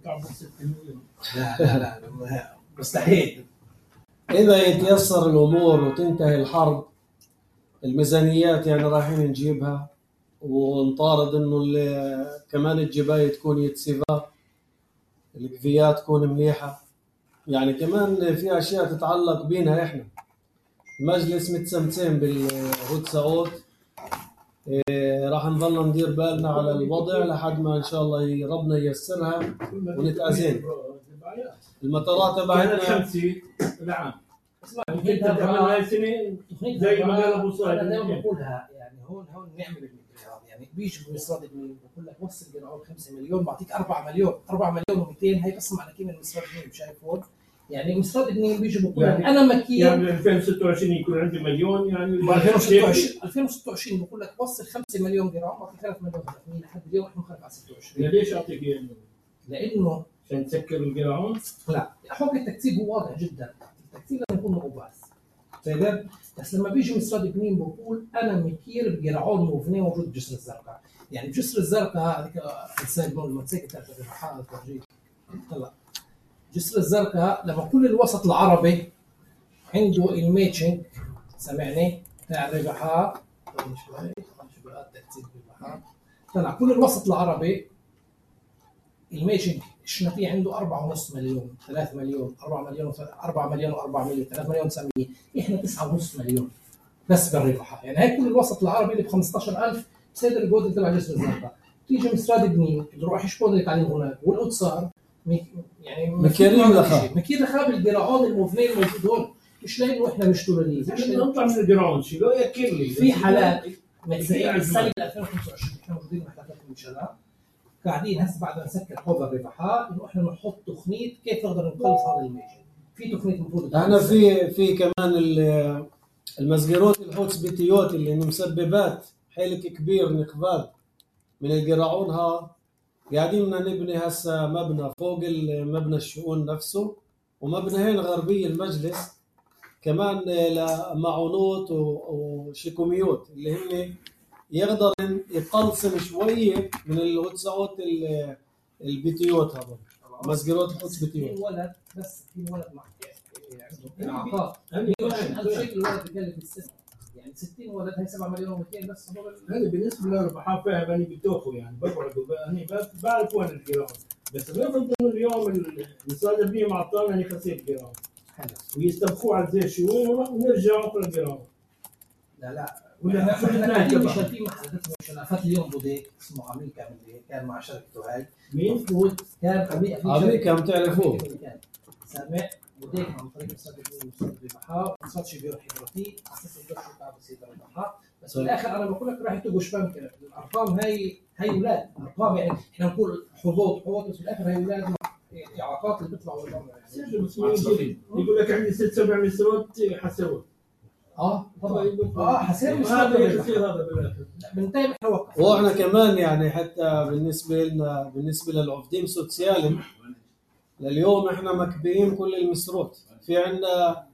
بتاع ستة مليون. لا لا لا مستحيل. إذا يتيسر الأمور وتنتهي الحرب الميزانيات يعني رايحين نجيبها ونطارد إنه كمان الجباية تكون يتسيفا القفيات تكون مليحة. يعني كمان في أشياء تتعلق بينا إحنا. المجلس متسمتين بالهود سعود إيه راح نظل ندير بالنا على الوضع لحد ما إن شاء الله ربنا ييسرها ونتأذين. المطارات تبعتنا خمسة العام. اسمع انت تعملها سنه زي ما قال ابو صالح. انا دائما بقولها يعني هون هون نعمل المليار يعني بيجي بمسراد المين بقول لك وصل جنعون خمسة مليون بعطيك أربعة مليون أربعة مليون ومئتين هي قسم على كيف من مسراد المين شايف هون يعني مسراد المين بيجي بقول لك يعني انا مكير يعني ألفين وستة وعشرين يكون عندي مليون يعني ألفين وستة وعشرين ألفين وستة وعشرين بقول لك وصل خمسة مليون جنعون بعطيك ثلاثة مليون ثلاثمية لحد اليوم احنا مخالف على ستة وعشرين. ليش اعطيك اياه؟ لانه عشان تسكر الجرعون؟ لا حكم التكتيب هو واضح جدا. التكتيب لازم يكون مقباس فاهم؟ بس لما بيجي مسراد بنين بقول انا مكير بجرعون موفنيه موجود بجسر الزرقاء. يعني بجسر الزرقاء هذيك السايد مول الموتوسيكل تاعت الرحال الترجيح طلع جسر الزرقاء لما كل الوسط العربي عنده الميتشنج سامعني تاع الربحات شوي شو بقى التكتيب بالبحر طلع كل الوسط العربي الميتشنج الشنطية عنده أربعة ونص مليون ثلاثة مليون أربعة مليون أربعة مليون وأربعمية ثلاثة مليون وتسعمية إحنا تسعة ونص مليون بس بالربحة. يعني هاي كل الوسط العربي اللي ب خمستاشر ألف بصير الجودة تبع جسر الزرقاء تيجي مسراد بنين بروح يشبون لك عليه هناك والقدصار يعني مكيرين لخا مكير لخا بالجرعون الموفنين الموجود هون مش لانه احنا مشتغلين مش نطلع من الجرعون شيلوا ياكل لي في حالات مثلا السنه ألفين وخمسة وعشرين احنا موجودين محلات المنشاه قاعدين هسه بعد ما نسكر حوض الربحات انه احنا نحط تقنيه كيف نقدر نخلص هذا الميجن. في تقنيه المفروض احنا في في كمان المسجروت الحوتس بيتيوت اللي مسببات حيلك كبير نقبال من الجرعون ها قاعدين بدنا نبني هسه مبنى فوق مبنى الشؤون نفسه، ومبنيين غربي المجلس كمان لمعونات وشيكوميوت اللي هن يقدر يقلصن شويه من الوسعات البيتيوت، هذول مسجرات القدس بيتيوت. ولد بس في ولد مع اعاقات هذا شيء الولد بكلف السنه يعني ستين ولد هي سبعة مليون ومئتين بس. هذا بالنسبه للربحان فاهم انا بتوخوا يعني بقعدوا هني بعرف وين الجرام، بس بنفرض انه اليوم المصادر بيه معطانا هني خسير جرام ويستبقوا على زي الشؤون ونرجع اخر الجرام. لا لا ولا احنا قاعدين مش في محادثه مشاركات اليوم بوديك اسمه امريكا من كان مع شركته هاي مين؟ كان امريكا امريكا بتعرفوه سامع بوديك عن طريق مصادر الربحاء ما صارش بيروح حضرتي على اساس يقدر شو تعب يصير الربحاء، بس في الاخر انا بقول لك راح يتوقش بنك الارقام هاي هاي اولاد ارقام يعني احنا نقول حظوظ حظوظ بس في الاخر هاي اولاد اعاقات اللي بيطلعوا برا يعني. يقول لك عندي ست سبع مسرات حسوت اه طبعا اه حسين هذا يصير هذا بالاخر بنتابع نوقف. واحنا كمان يعني حتى بالنسبه لنا بالنسبه للعفدين سوسيالم لليوم احنا مكبيين كل المسروت، في عندنا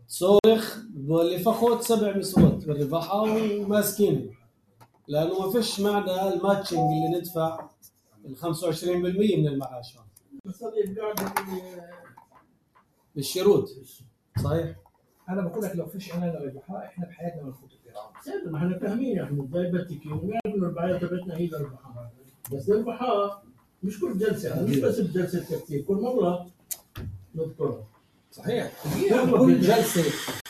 صورخ اللي فقط سبع مسروت بالرباحه وماسكين لانه ما فيش معنى الماتشنج اللي ندفع ال خمسة وعشرين بالمئة من المعاش بس هذا قاعد بالشروط. صحيح. انا بقول لك لو فيش عندنا ربحاء احنا بحياتنا بنفوت الجرام. سيد ما احنا فاهمين يا احمد زي بتكي ونعرف انه الرباعيه تبعتنا هي الربحاء، بس الربحاء مش كل جلسه مش بس بجلسه تكتيك كل مره نذكرها. صحيح كل جلسه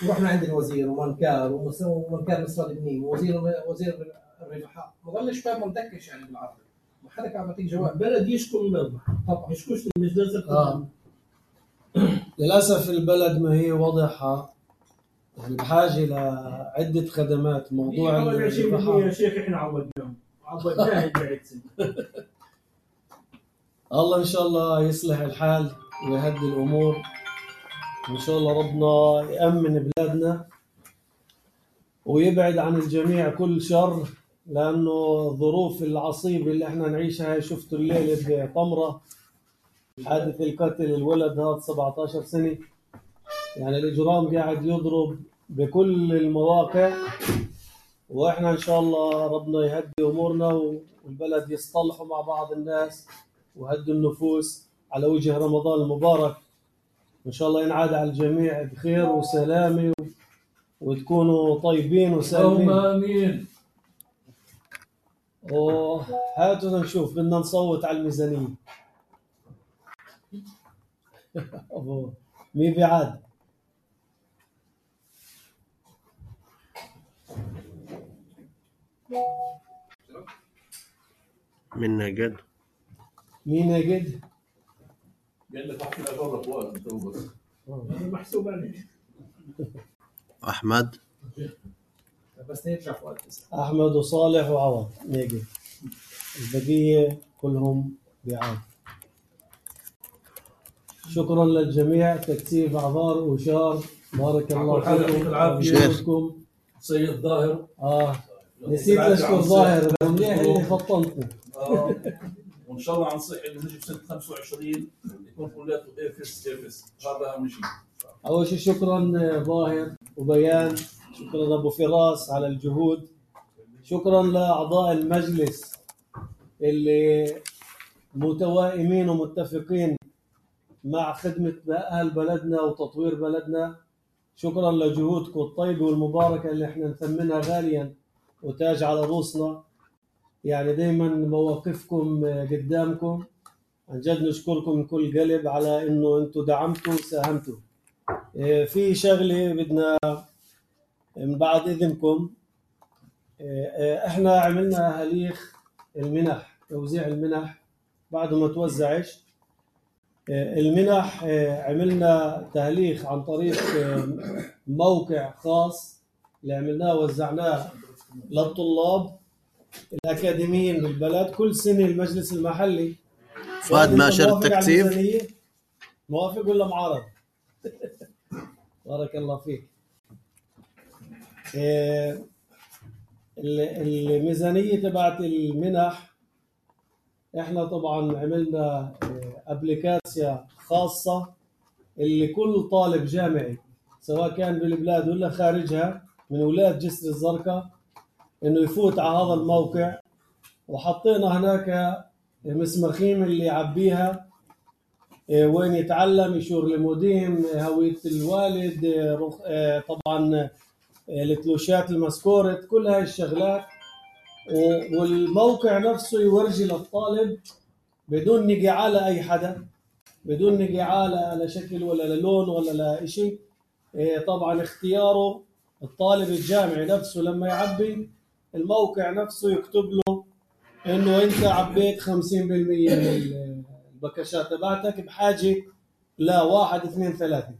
ورحنا عند الوزير ومنكار ومنكار مصر البنين ووزير وزير الربحاء ما ضلش فاهم مندكش يعني بالعربي ما حدا كان يعطيك جواب. بلد يشكو من الربحاء طبعا يشكوش مش جلسه آه. للاسف البلد ما هي واضحه يعني بحاجه لعده خدمات. موضوع الربحاء يا شيخ احنا عودناهم عودناه بعد سنه. الله ان شاء الله يصلح الحال ويهدي الامور ان شاء الله. ربنا يامن بلادنا ويبعد عن الجميع كل شر، لانه الظروف العصيبه اللي احنا نعيشها هاي شفتوا الليله بطمره حادث القتل الولد هذا سبعة عشر سنه يعني الاجرام قاعد يضرب بكل المواقع، واحنا ان شاء الله ربنا يهدي امورنا والبلد يصطلحوا مع بعض الناس وهدوا النفوس على وجه رمضان المبارك. ان شاء الله ينعاد على الجميع بخير وسلامه وتكونوا طيبين وسالمين. امين. وهاتوا نشوف بدنا نصوت على الميزانيه. مين بيعاد؟ مين نجد؟ مين نجد؟ قال لك احكي لك اجرب وقت بس محسوب عليك. احمد بس نرجع في وقت احمد وصالح وعوض نجد، البقيه كلهم بيعاد. شكرا للجميع. تكتيب اعذار وشار بارك الله فيكم. سيد ظاهر اه نسيت اشكر ظاهر منيح اللي فطنتني. اه وان شاء الله نصيح انه نجي بسنه خمسة وعشرين يكون كلياته افس افس هذا اهم شيء. اول شيء شكرا ظاهر وبيان، شكرا ابو فراس على الجهود، شكرا لاعضاء المجلس اللي متوائمين ومتفقين مع خدمه اهل بلدنا وتطوير بلدنا. شكرا لجهودكم الطيبه والمباركه اللي احنا نثمنها غاليا وتاج على رؤوسنا. يعني دائما مواقفكم قدامكم، عن جد نشكركم من كل قلب على انه انتم دعمتوا وساهمتوا. في شغله بدنا من بعد اذنكم، احنا عملنا هليخ المنح، توزيع المنح بعد ما توزعش المنح. عملنا تهليخ عن طريق موقع خاص اللي عملناه وزعناه للطلاب الأكاديميين بالبلد. كل سنة المجلس المحلي فؤاد ماشر التكتيف موافق ولا معارض؟ بارك الله فيك. الميزانية تبعت المنح احنا طبعا عملنا ابليكاسيا خاصة اللي كل طالب جامعي سواء كان بالبلاد ولا خارجها من ولاية جسر الزرقاء انه يفوت على هذا الموقع، وحطينا هناك مسمخين اللي يعبيها وين يتعلم، يشور الموديم، هوية الوالد، طبعا التلوشات المسكورت، كل هاي الشغلات. والموقع نفسه يورجي للطالب بدون نقاع على أي حدا، بدون نقاع على شكل ولا للون ولا لشيء. طبعا اختياره الطالب الجامعي نفسه لما يعبي الموقع نفسه يكتب له انه انت عبيت خمسين بالمية من البكشات تبعتك بحاجة لواحد اثنين ثلاثة،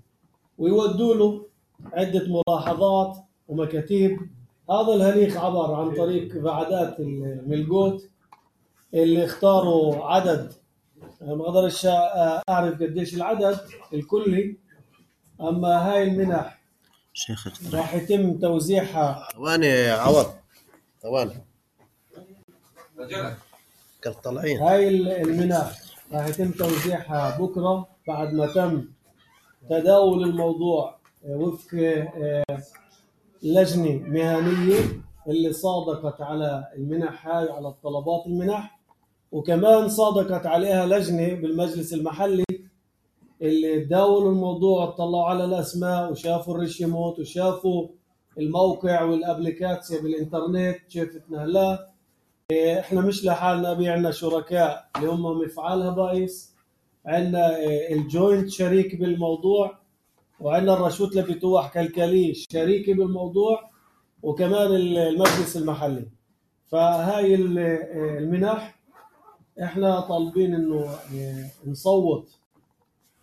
ويودوا له عدة ملاحظات ومكاتيب. هذا الهريخ عبر عن طريق بعدات الملقوت اللي اختاروا عدد، ما اقدرش اعرف قديش العدد الكلي، اما هاي المنح شيخ راح يتم توزيعها. ثواني عوض، ثواني كنت طالعين. هاي المنح راح يتم توزيعها بكره بعد ما تم تداول الموضوع وفق لجنة مهنية اللي صادقت على المنح هاي وعلى الطلبات المنح، وكمان صادقت عليها لجنة بالمجلس المحلي اللي تداولوا الموضوع، اطلعوا على الأسماء وشافوا الرشيموت وشافوا الموقع والابليكاسيا بالإنترنت كيف تنهلا. احنا مش لحالنا، بي عنا شركاء اللي هم مفعال هبايس، عنا الجوينت شريك بالموضوع، وعندنا الرشوت لبيتوح كالكاليش شريكي بالموضوع، وكمان المجلس المحلي. فهاي المنح احنا طالبين انه نصوت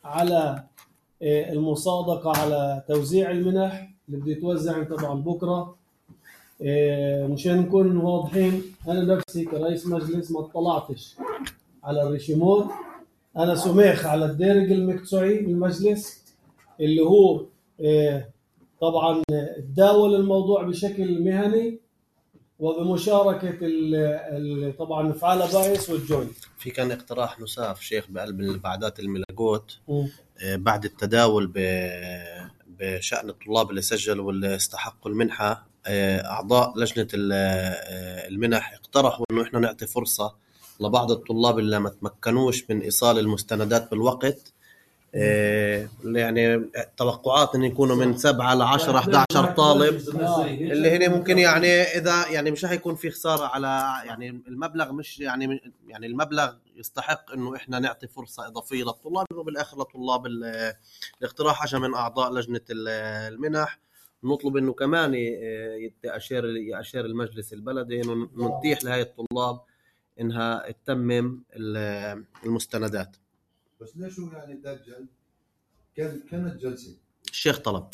على المصادقة على توزيع المنح اللي بده يتوزع طبعا بكرة. مشان نكون واضحين، انا نفسي كرئيس مجلس ما اطلعتش على الرشيموت، انا سميخ على الدرج المقطعي المجلس اللي هو طبعا تداول الموضوع بشكل مهني وبمشاركة طبعا مفعال بايس والجوينت. في كان اقتراح نساف شيخ بقلب البعدات الملقوت بعد التداول بشأن الطلاب اللي سجلوا واللي استحقوا المنحة، أعضاء لجنة المنح اقترحوا إنه إحنا نعطي فرصة لبعض الطلاب اللي ما تمكنوش من إيصال المستندات بالوقت، يعني توقعات إن يكونوا من سبعة لعشرة أحد عشر طالب، اللي هنا ممكن يعني إذا يعني مش هيكون في خسارة على يعني المبلغ، مش يعني يعني المبلغ يستحق إنه إحنا نعطي فرصة إضافية للطلاب، إنه بالآخر لطلاب. الاقتراح أجى من أعضاء لجنة المنح، نطلب إنه كمان يأشير يأشير المجلس البلدي إنه نتيح لهاي الطلاب إنها تتمم المستندات. بس ليش هو يعني تأجل؟ كان كانت جلسة الشيخ طلب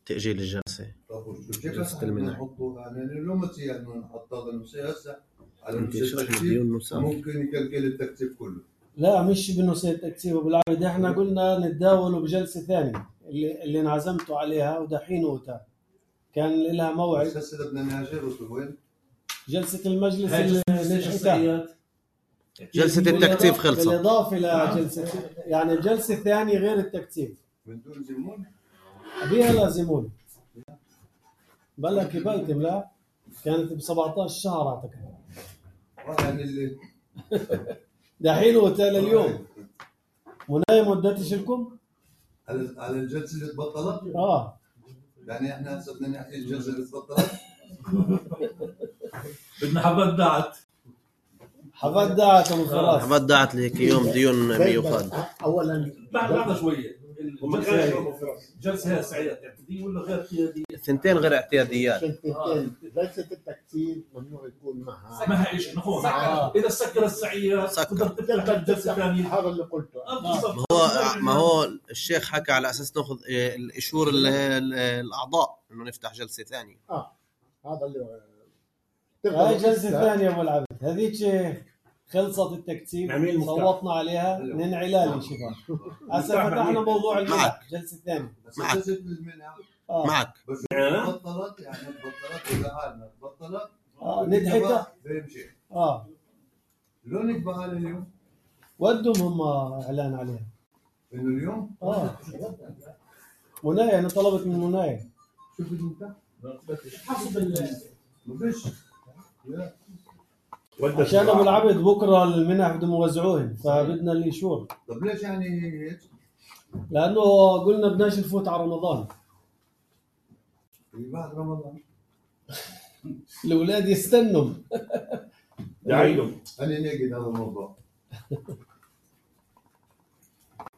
تأجيل الجلسة. طب وشو كيف نحطه يعني اليوم تي يعني نحط هذا المسيح هسه على التكتيب، ممكن يكلكل التكتيب كله. لا مش بنسيت التكتيب بالعربي، احنا قلنا نتداوله بجلسة ثانية اللي اللي انعزمتوا عليها ودحين وتا كان لها موعد. بس هسه بدنا نهاجر وين؟ جلسة المجلس اللي نجحتها، جلسة التكتيف خلصت بالإضافة لجلسة يعني الجلسة الثانية غير التكتيف من دون زمون بيها لازمون بلا كبلتم. لا كانت ب سبعة عشر شهر اعتقد يعني اللي دحين وتالي اليوم منايم مدتش لكم على على الجلسة اللي تبطلت. اه يعني احنا هسه بدنا نحكي الجلسة اللي تبطلت. بدنا حبات دعت حبات دعت وخلاص. حبات دعت لك يوم ديون ميوخاد. اولا بعد بعد شويه الجلسه هي سعيات اعتياديه ولا غير اعتياديه؟ ثنتين غير اعتياديات. جلسه التكتيب ممنوع يكون معها معها ايش نفوز. اذا سكر السعيات تقدر تفتح جلسه ثانيه. هذا اللي قلته. ما هو ما هو الشيخ حكى على اساس ناخذ الاشور الاعضاء انه نفتح جلسه ثانيه. اه هذا اللي هاي جلسه ثانيه ابو العبد. هذيك خلصت التكتيب صوتنا عليها ننعلالي شباب. هسه فتحنا موضوع المنح جلسه ثانيه. معك جلسه المنح آه. معك بس بطلت يعني بطلت ولا حالنا بطلت اه ندحتها بيمشي اه شلون يكبر على اليوم؟ ودهم هم اعلان عليها انه اليوم؟ اه منايا انا طلبت من منايا. شوف انت حسب ال بدش عشان ابو العبد بكره المنح بدهم يوزعوهن فبدنا الايشور. طب ليش يعني هيك؟ لانه قلنا بدناش نفوت على رمضان. بعد رمضان الاولاد يستنوا. داعيهم. انا ناقد هذا الموضوع.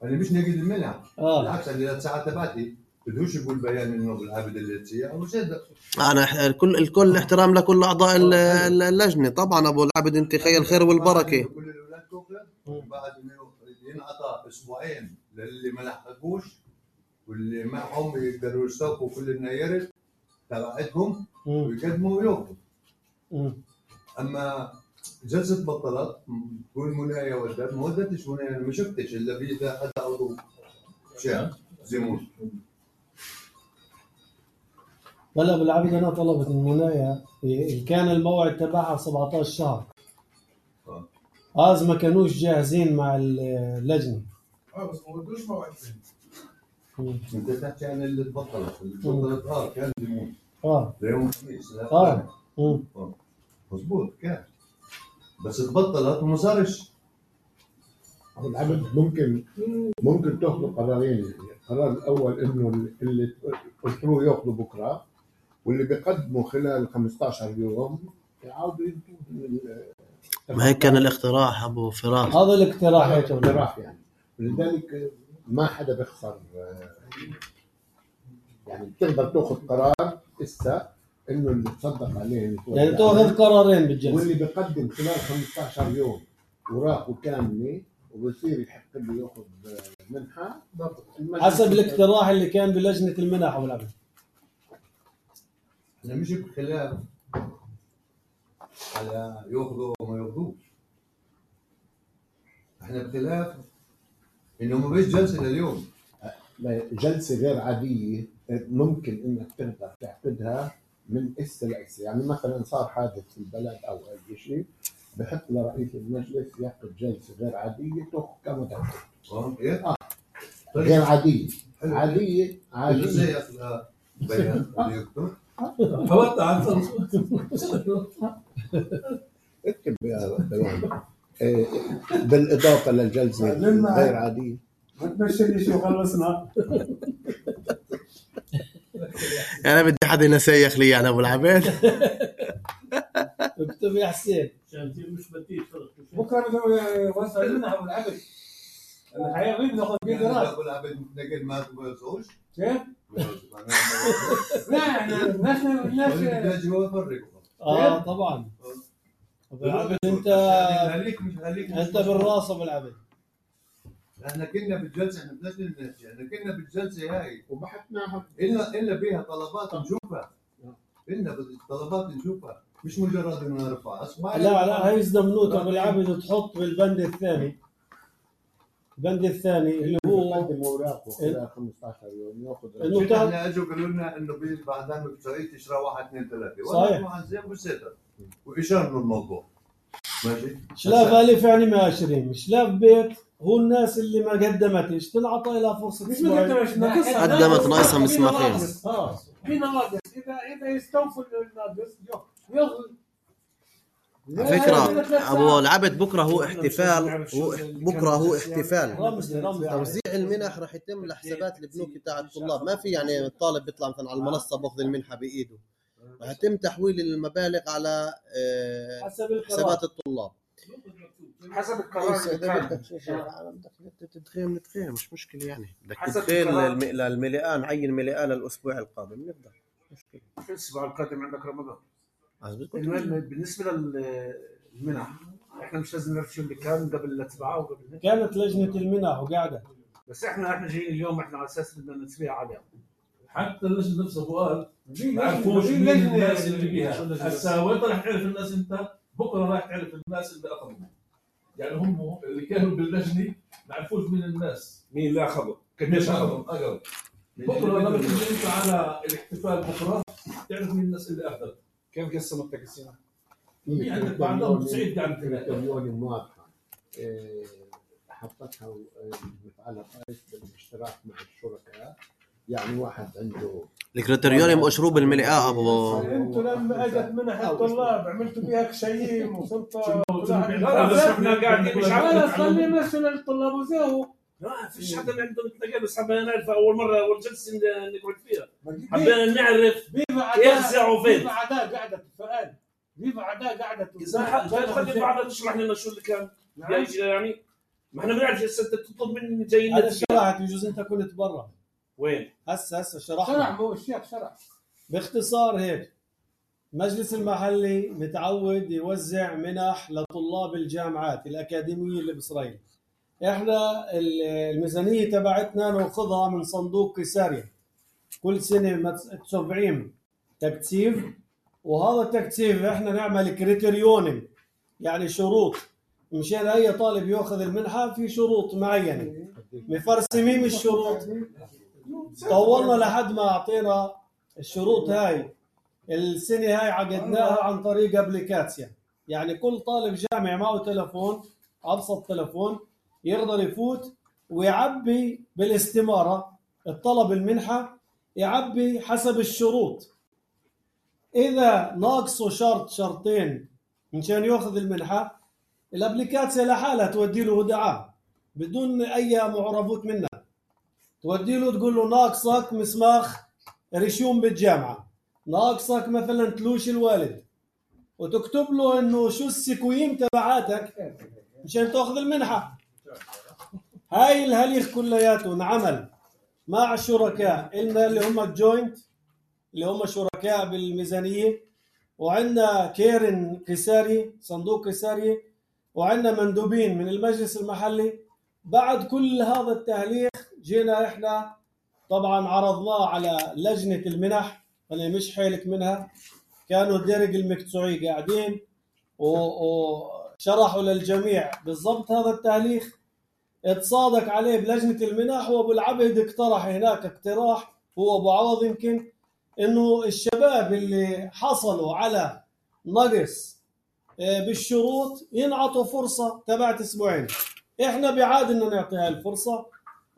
انا مش ناقد المنع. اه بالعكس انا ساعات تبعتي بدوش يقول بيان انه بالعابد اللي تصير وصدق. انا كل الكل الاحترام لكل اعضاء ال- ال- اللجنه طبعا ابو العبد، انت خير الخير والبركه. كل الاولاد تاخذ وبعد انه ينعطى اسبوعين للي ما لحقوش واللي معهم يقدروا يستوقفوا كل النيرت تبعتهم ويقدموا وياخذوا. اما جلسه بطلت تقول منايا ودت ما ودتش منايا، انا ما شفتش الا في اذا حدا عضو شاب زيمون. هلا بالعبد انا طلبت من منايا كان الموعد تبعها سبعطعش شهر. هذا ما كانوش جاهزين مع اللجنه. اه بس ما ودوش موعد ثاني. انت تحكي عن اللي تبطلت، اللي تبطلت اه كان زيمون. اه ليوم الخميس. اه امم مضبوط كان بس تبطلت وما صارش. ابو العبد ممكن ممكن تاخذوا قرارين، القرار الاول انه اللي قلت له ياخذوا بكره واللي بيقدموا خلال خمسطعش يوم يعاودوا ينتهوا. ما هيك كان الاقتراح ابو فراس. هذا الاقتراح هيك اقتراح يعني، ولذلك ما حدا بيخسر. يعني بتقدر تاخذ قرار هسه انه اللي تصدق عليه يعني تاخذ قرارين بالجلسه، واللي بيقدم خلال خمسطعش يوم وراقه كامله وبصير يحق له ياخذ منحه حسب الاقتراح اللي كان بلجنه المنح ابو العبد. احنا مش بخلاف على ياخذوا وما ياخذوش، احنا بخلاف انه ما فيش جلسه لليوم. جلسه غير عاديه ممكن انك تقدر تعقدها من هسه لهسه، يعني مثلا صار حادث في البلد او اي شيء بحط لرئيس المجلس يعقد جلسه غير عاديه تاخذ كم دقيقه. اه ايه؟ اه غير عاديه عاديه عاديه ازاي ياخذها بيان اللي يكتب؟ فوت عن اكتب يا بيان بالاضافه للجلسه غير عاديه. ما تمشي شو خلصنا. انا بدي حدا ينسيخ لي انا ابو العبد. اكتب يا حسين عشان تصير مش بديل. بكره بدهم يوزعوا لنا ابو العبد. الحقيقه بناخذ فيه قرار. ابو العبد نقل ما تبغوش؟ كيف؟ لا احنا الناس الناس بدي يفرق. اه طبعا ابو العبد انت خليك مش خليك انت بالراس ابو العبد. احنا كنا بالجلسه احنا بدناش نحكي، احنا كنا بالجلسه هاي وبحثناها الا الا بيها طلبات نشوفها. إلنا طلبات نشوفها مش مجرد انه نرفع. لا لا هي زمنوت ابو العبد تحط بالبند الثاني. البند الثاني اللي هو يقدم اوراقه خلال خمسطعش يوم ياخذ. انه احنا اجوا قالوا لنا انه بعد تسوي تشرى واحد اثنين ثلاثه. صحيح. واحد زين وستر واشارنا الموضوع. ماشي. شلاف الف يعني ما عشرين، شلاف بيت هو الناس اللي ما قدمتش تنعطى لها فرصه. مش ما قدمتش قدمت ناقصها مسمارين. اه في نواقص، اذا اذا يستوفوا الناقص ياخذ. على فكرة أبو العبد بكرة هو احتفال، هو بكرة هو احتفال توزيع المنح راح يتم لحسابات البنوك تاع الطلاب. ما في يعني الطالب بيطلع مثلا على المنصة باخذ المنحة بإيده، راح يتم تحويل المبالغ على حسابات الطلاب حسب القرار. بدك تدخل نتخيل مش مشكلة يعني، بدك تدخل للمليان عين مليان الأسبوع القادم نبدأ مشكلة. الأسبوع القادم عندك رمضان. المهم بالنسبه للمنح احنا مش لازم نعرف شو اللي كان قبل الاتباع وقبل كانت لجنه المنح وقاعده، بس احنا احنا جايين اليوم احنا على اساس بدنا نتبع عليها. حتى اللجنه نفسها فؤاد ما عرفوش مين الناس اللي بيها. هسه وين راح تعرف الناس؟ انت بكره راح تعرف الناس اللي اخذوا، يعني هم اللي كانوا باللجنه ما عرفوش مين الناس مين اللي اخذوا قديش اخذوا اقرب. بكره لما تيجي انت على الاحتفال بكره تعرف مين الناس اللي اخذت. كيف قسموا التقسيمه؟ في عندك بعضهم تسعيد قاعد كريتوريون واضحه إيه، حطتها المفعل الرئيس بالاشتراك مع الشركاء. يعني واحد عنده الكريتوريون مشروب الملئة ابو انتوا لما اجت منح الطلاب عملتوا بيها كشيم وصرتوا احنا قاعدين مش عارفين خلي مثلا الطلاب وزاهوا. ما فيش حدا عنده نتلاقى بس حبينا نعرف اول مره اول جلسه نقعد فيها حبينا نعرف يفزعوا فين. في عداء قاعده السؤال في عداء قاعده خلي بعضها تشرح لنا شو اللي كان يعني. ما احنا بنعرف انت تطلب مني جايين هذا شرحت يجوز انت كنت برا. وين؟ هسه هسه شرحت شرح هو الشيخ شرح باختصار هيك. المجلس المحلي متعود يوزع منح لطلاب الجامعات الأكاديمية اللي بإسرائيل. احنا الميزانية تبعتنا ناخذها من صندوق كيساريا كل سنة تسبعين تكثيف، وهذا التكثيف احنا نعمل كريتيريون يعني شروط مشان اي طالب ياخذ المنحة في شروط معينة مفرسمين الشروط. طولنا لحد ما اعطينا الشروط هاي. السنة هاي عقدناها عن طريق ابليكاسيا، يعني كل طالب جامعي معه تلفون ابسط تلفون يقدر يفوت ويعبي بالاستمارة الطلب المنحة، يعبي حسب الشروط. إذا ناقصه شرط شرطين مشان يأخذ المنحة الابليكاسيا لحالها تودي له دعاء بدون أي معرفات منها، تودي له تقول له ناقصك مسماخ ريشيوم بالجامعة، ناقصك مثلا تلوش الوالد، وتكتب له إنه شو السكويم تبعاتك مشان تأخذ المنحة. هاي الهليخ كلياته نعمل مع الشركاء إلنا اللي هم الجوينت اللي هم شركاء بالميزانية، وعندنا كيرن كيساري صندوق كيساري، وعندنا مندوبين من المجلس المحلي. بعد كل هذا التهليخ جينا إحنا طبعا عرضناه على لجنة المنح اللي مش حيلك منها، كانوا الدرج المكتوعي قاعدين وشرحوا للجميع بالضبط هذا التهليخ. اتصادق عليه بلجنة المنح، وابو العبد اقترح هناك اقتراح هو ابو عوض يمكن انه الشباب اللي حصلوا على نقص بالشروط ينعطوا فرصة تبعت اسبوعين. احنا بعاد ان نعطي هاي الفرصة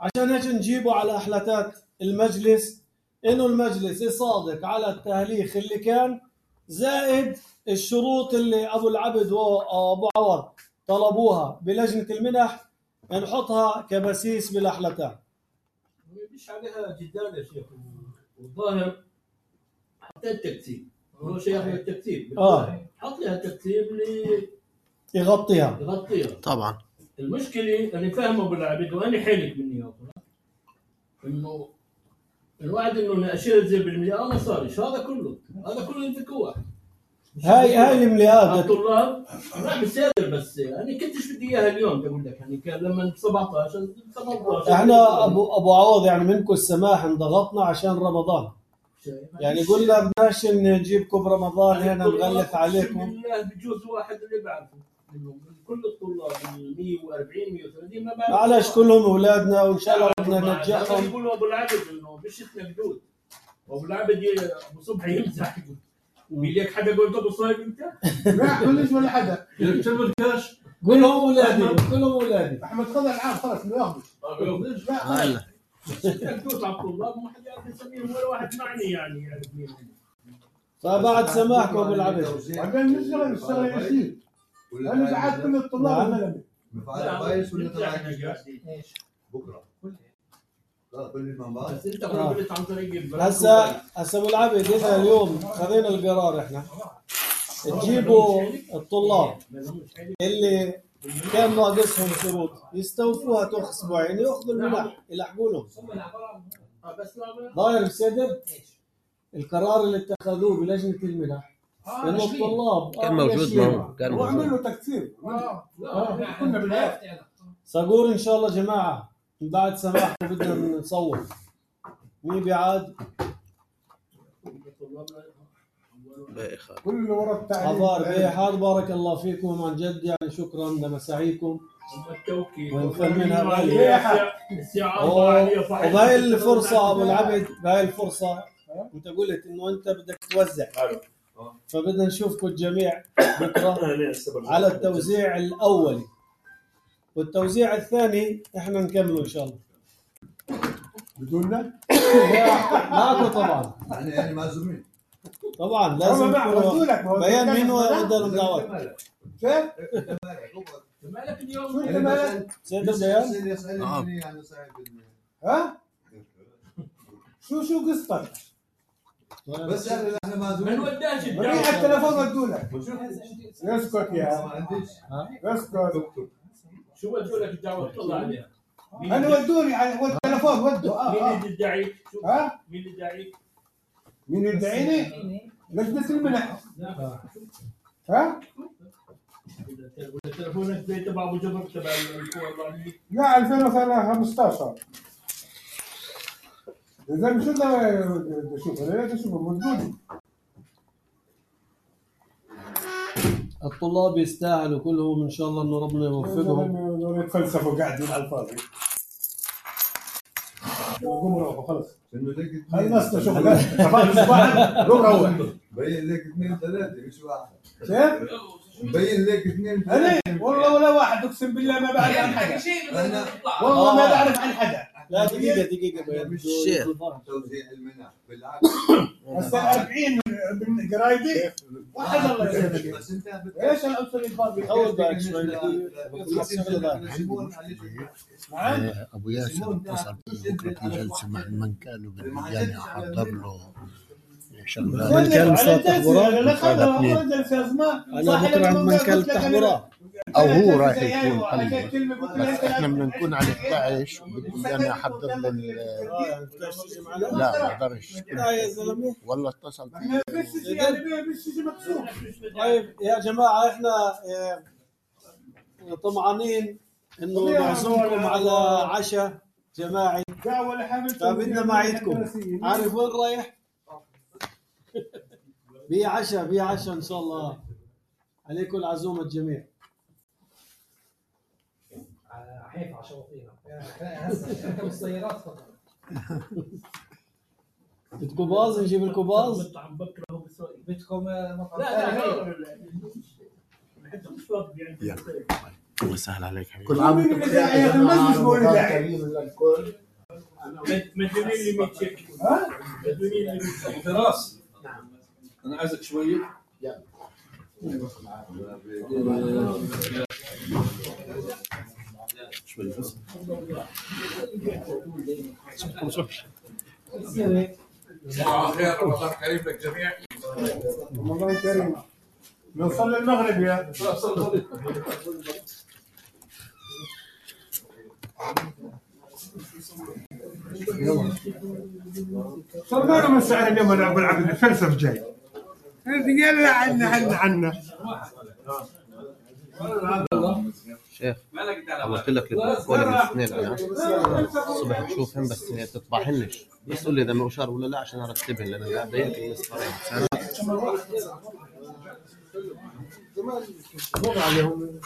عشان هيك نجيبه على احلاتات المجلس انه المجلس يصادق على التهليخ اللي كان زائد الشروط اللي ابو العبد وابو عوض طلبوها بلجنة المنح نحطها كبسيس بالاحلتان. مش عليها جدال يا شيخ. والظاهر حطيت تكتيب هو شيء ياخذ التكتيب اه حط لها تكتيب اللي يغطيها يغطيها طبعا. المشكله انا فاهمه ابو العبد وانا حيلك مني اصلا انه الواحد انه اشياء زي بالمليار ما صارش هذا كله هذا كله ينفكوه. هاي هاي المليات الطلاب لا بصير بس انا كنتش بدي اياها اليوم بقول لك يعني كان لما سبعطعش ثمانطعش احنا ابو ابو عوض يعني منكم السماح انضغطنا عشان رمضان، يعني قلنا بدناش نجيبكم برمضان هنا نغلف عليكم. بالله بجوز واحد اللي بعرفه انه كل الطلاب مية وأربعين مية وثلاثين ما بعرف معلش كلهم اولادنا وان شاء الله بدنا ننجحهم. يقولوا ابو العبد انه مش احنا جدود ابو العبد ابو صبحي يمزح بيقول لك حدا قلت ابو صايب انت؟ لا كلش ولا حدا يكتب الكاش كلهم اولادي كلهم اولادي. احمد خذ العام خلص ما ياخذش. لا كنت على الطلاب ما حد يعرف يسميهم ولا واحد معني يعني يعرف مين. فبعد سماحكم ابو العبد بعدين نشتغل نشتغل يسير. انا بعد كل الطلاب زلمه. مفعل كويس ولا تبع بكره؟ لا كل ما بعد. بس انت قلت عن طريق هسه هسه ابو العبد اذا اليوم خذينا القرار احنا تجيبوا الطلاب اللي كان ناقصهم شروط يستوفوها تاخذ اسبوعين ياخذوا المنح يلحقوا لهم. ضاير بصدر القرار اللي اتخذوه بلجنة المنح انه الطلاب كان موجود معه كان موجود وعملوا تكثير. اه كنا بالعافيه. صقور ان شاء الله جماعه من بعد سماحكم بدنا نصور مين بعاد كل اللي ورا التعليم عبار بيحاد بارك الله فيكم عن جد يعني شكرا لمساعيكم ونفهمنا غالية. وبهاي الفرصة ابو العبد بهاي الفرصة انت قلت انه انت بدك توزع فبدنا نشوفكم الجميع بكره على التوزيع الاولي، والتوزيع الثاني احنا نكمله ان شاء الله بدوننا؟ معكم طبعا. يعني يعني معزومين طبعا لازم بيان مين ودار الدعوات. كيف؟ مالك اليوم؟ شو انت مالك؟ سيد البيان؟ ها؟ شو شو قصتك؟ بس يعني احنا معزومين. من وداش ريح التليفون ودوا لك. يسكت يا يسكت. شو ودوا لك الدعوة تطلع عليها؟ انا ودوني على التليفون ودوا اه مين اه اللي يدعيك؟ ها؟ مين اللي يدعيك؟ مين يدعيني؟ لجنة المنح. ها؟ تليفونك زي تبع ابو جبر تبع القوى الرعدية؟ لا ألفين وخمسطعش. اذا شو بدي اشوف انا بدي اشوف موجود. الطلاب يستاهلوا كلهم ان شاء الله انه ربنا يوفقهم. يتفلسفوا قاعدين على الفاضي. قوم روحوا خلص. خلصنا شغل. قوم روح. مبين لك اثنين ثلاثة مش واحد. كيف؟ مبين لك اثنين ثلاثة. انا والله ولا واحد اقسم بالله ما بعرف عن حدا. والله ما بعرف عن حدا. لا دقيقة دقيقة الشيخ توزيع المنح بالعكس. هسه أربعين من قرايبي واحد الله يسلمك. بس انت ايش العنصر الفاضي؟ أول بالك شوي. ابو ياسر اتصل بي بكره في جلسه مع المنكال وبدي احضر له شغلات. منكال مصطفى تحبورات؟ انا بكره عند منكال تحبورات او هو رايح يكون قليل، بس احنا بدنا نكون على اثني عشر وبدي انا احضر له. لا ما اقدرش. لا يا زلمه والله اتصل طيب يا جماعه احنا طمعانين انه نعزمكم على عشاء جماعي، فبدنا معيدكم. عارف وين رايح؟ بي عشاء بي عشاء ان شاء الله عليكم العزومه الجميع. حيف على شواطئنا هسه اركب السيارات فقط. بدكم باص نجيب لكم باص؟ مطعم بكره وبسوي بدكم مطعم لا لا حتى مش فاضي يعني. الله يسهل عليك حبيبي. كل عام وانتم بخير يا المجلس مولد كريم للكل. مديونين لي مية شيكل. ها؟ مديونين لي مية شيكل. فراس انا عايزك شويه. شوي بس. صباح الخير، رمضان كريم للجميع. رمضان كريم. نوصل للمغرب يا. صرنا من ساعة اليوم انا ابو العبد الفلسف جاي. يلا عنا عنا عنا. شيخ قلت لك البروتوكول الاثنين انا الصبح بشوفهم بس تطبعهنش، بس قول لي اذا مؤشر ولا لا عشان ارتبهن لان قاعد ضيق المسطرين. زمان عليهم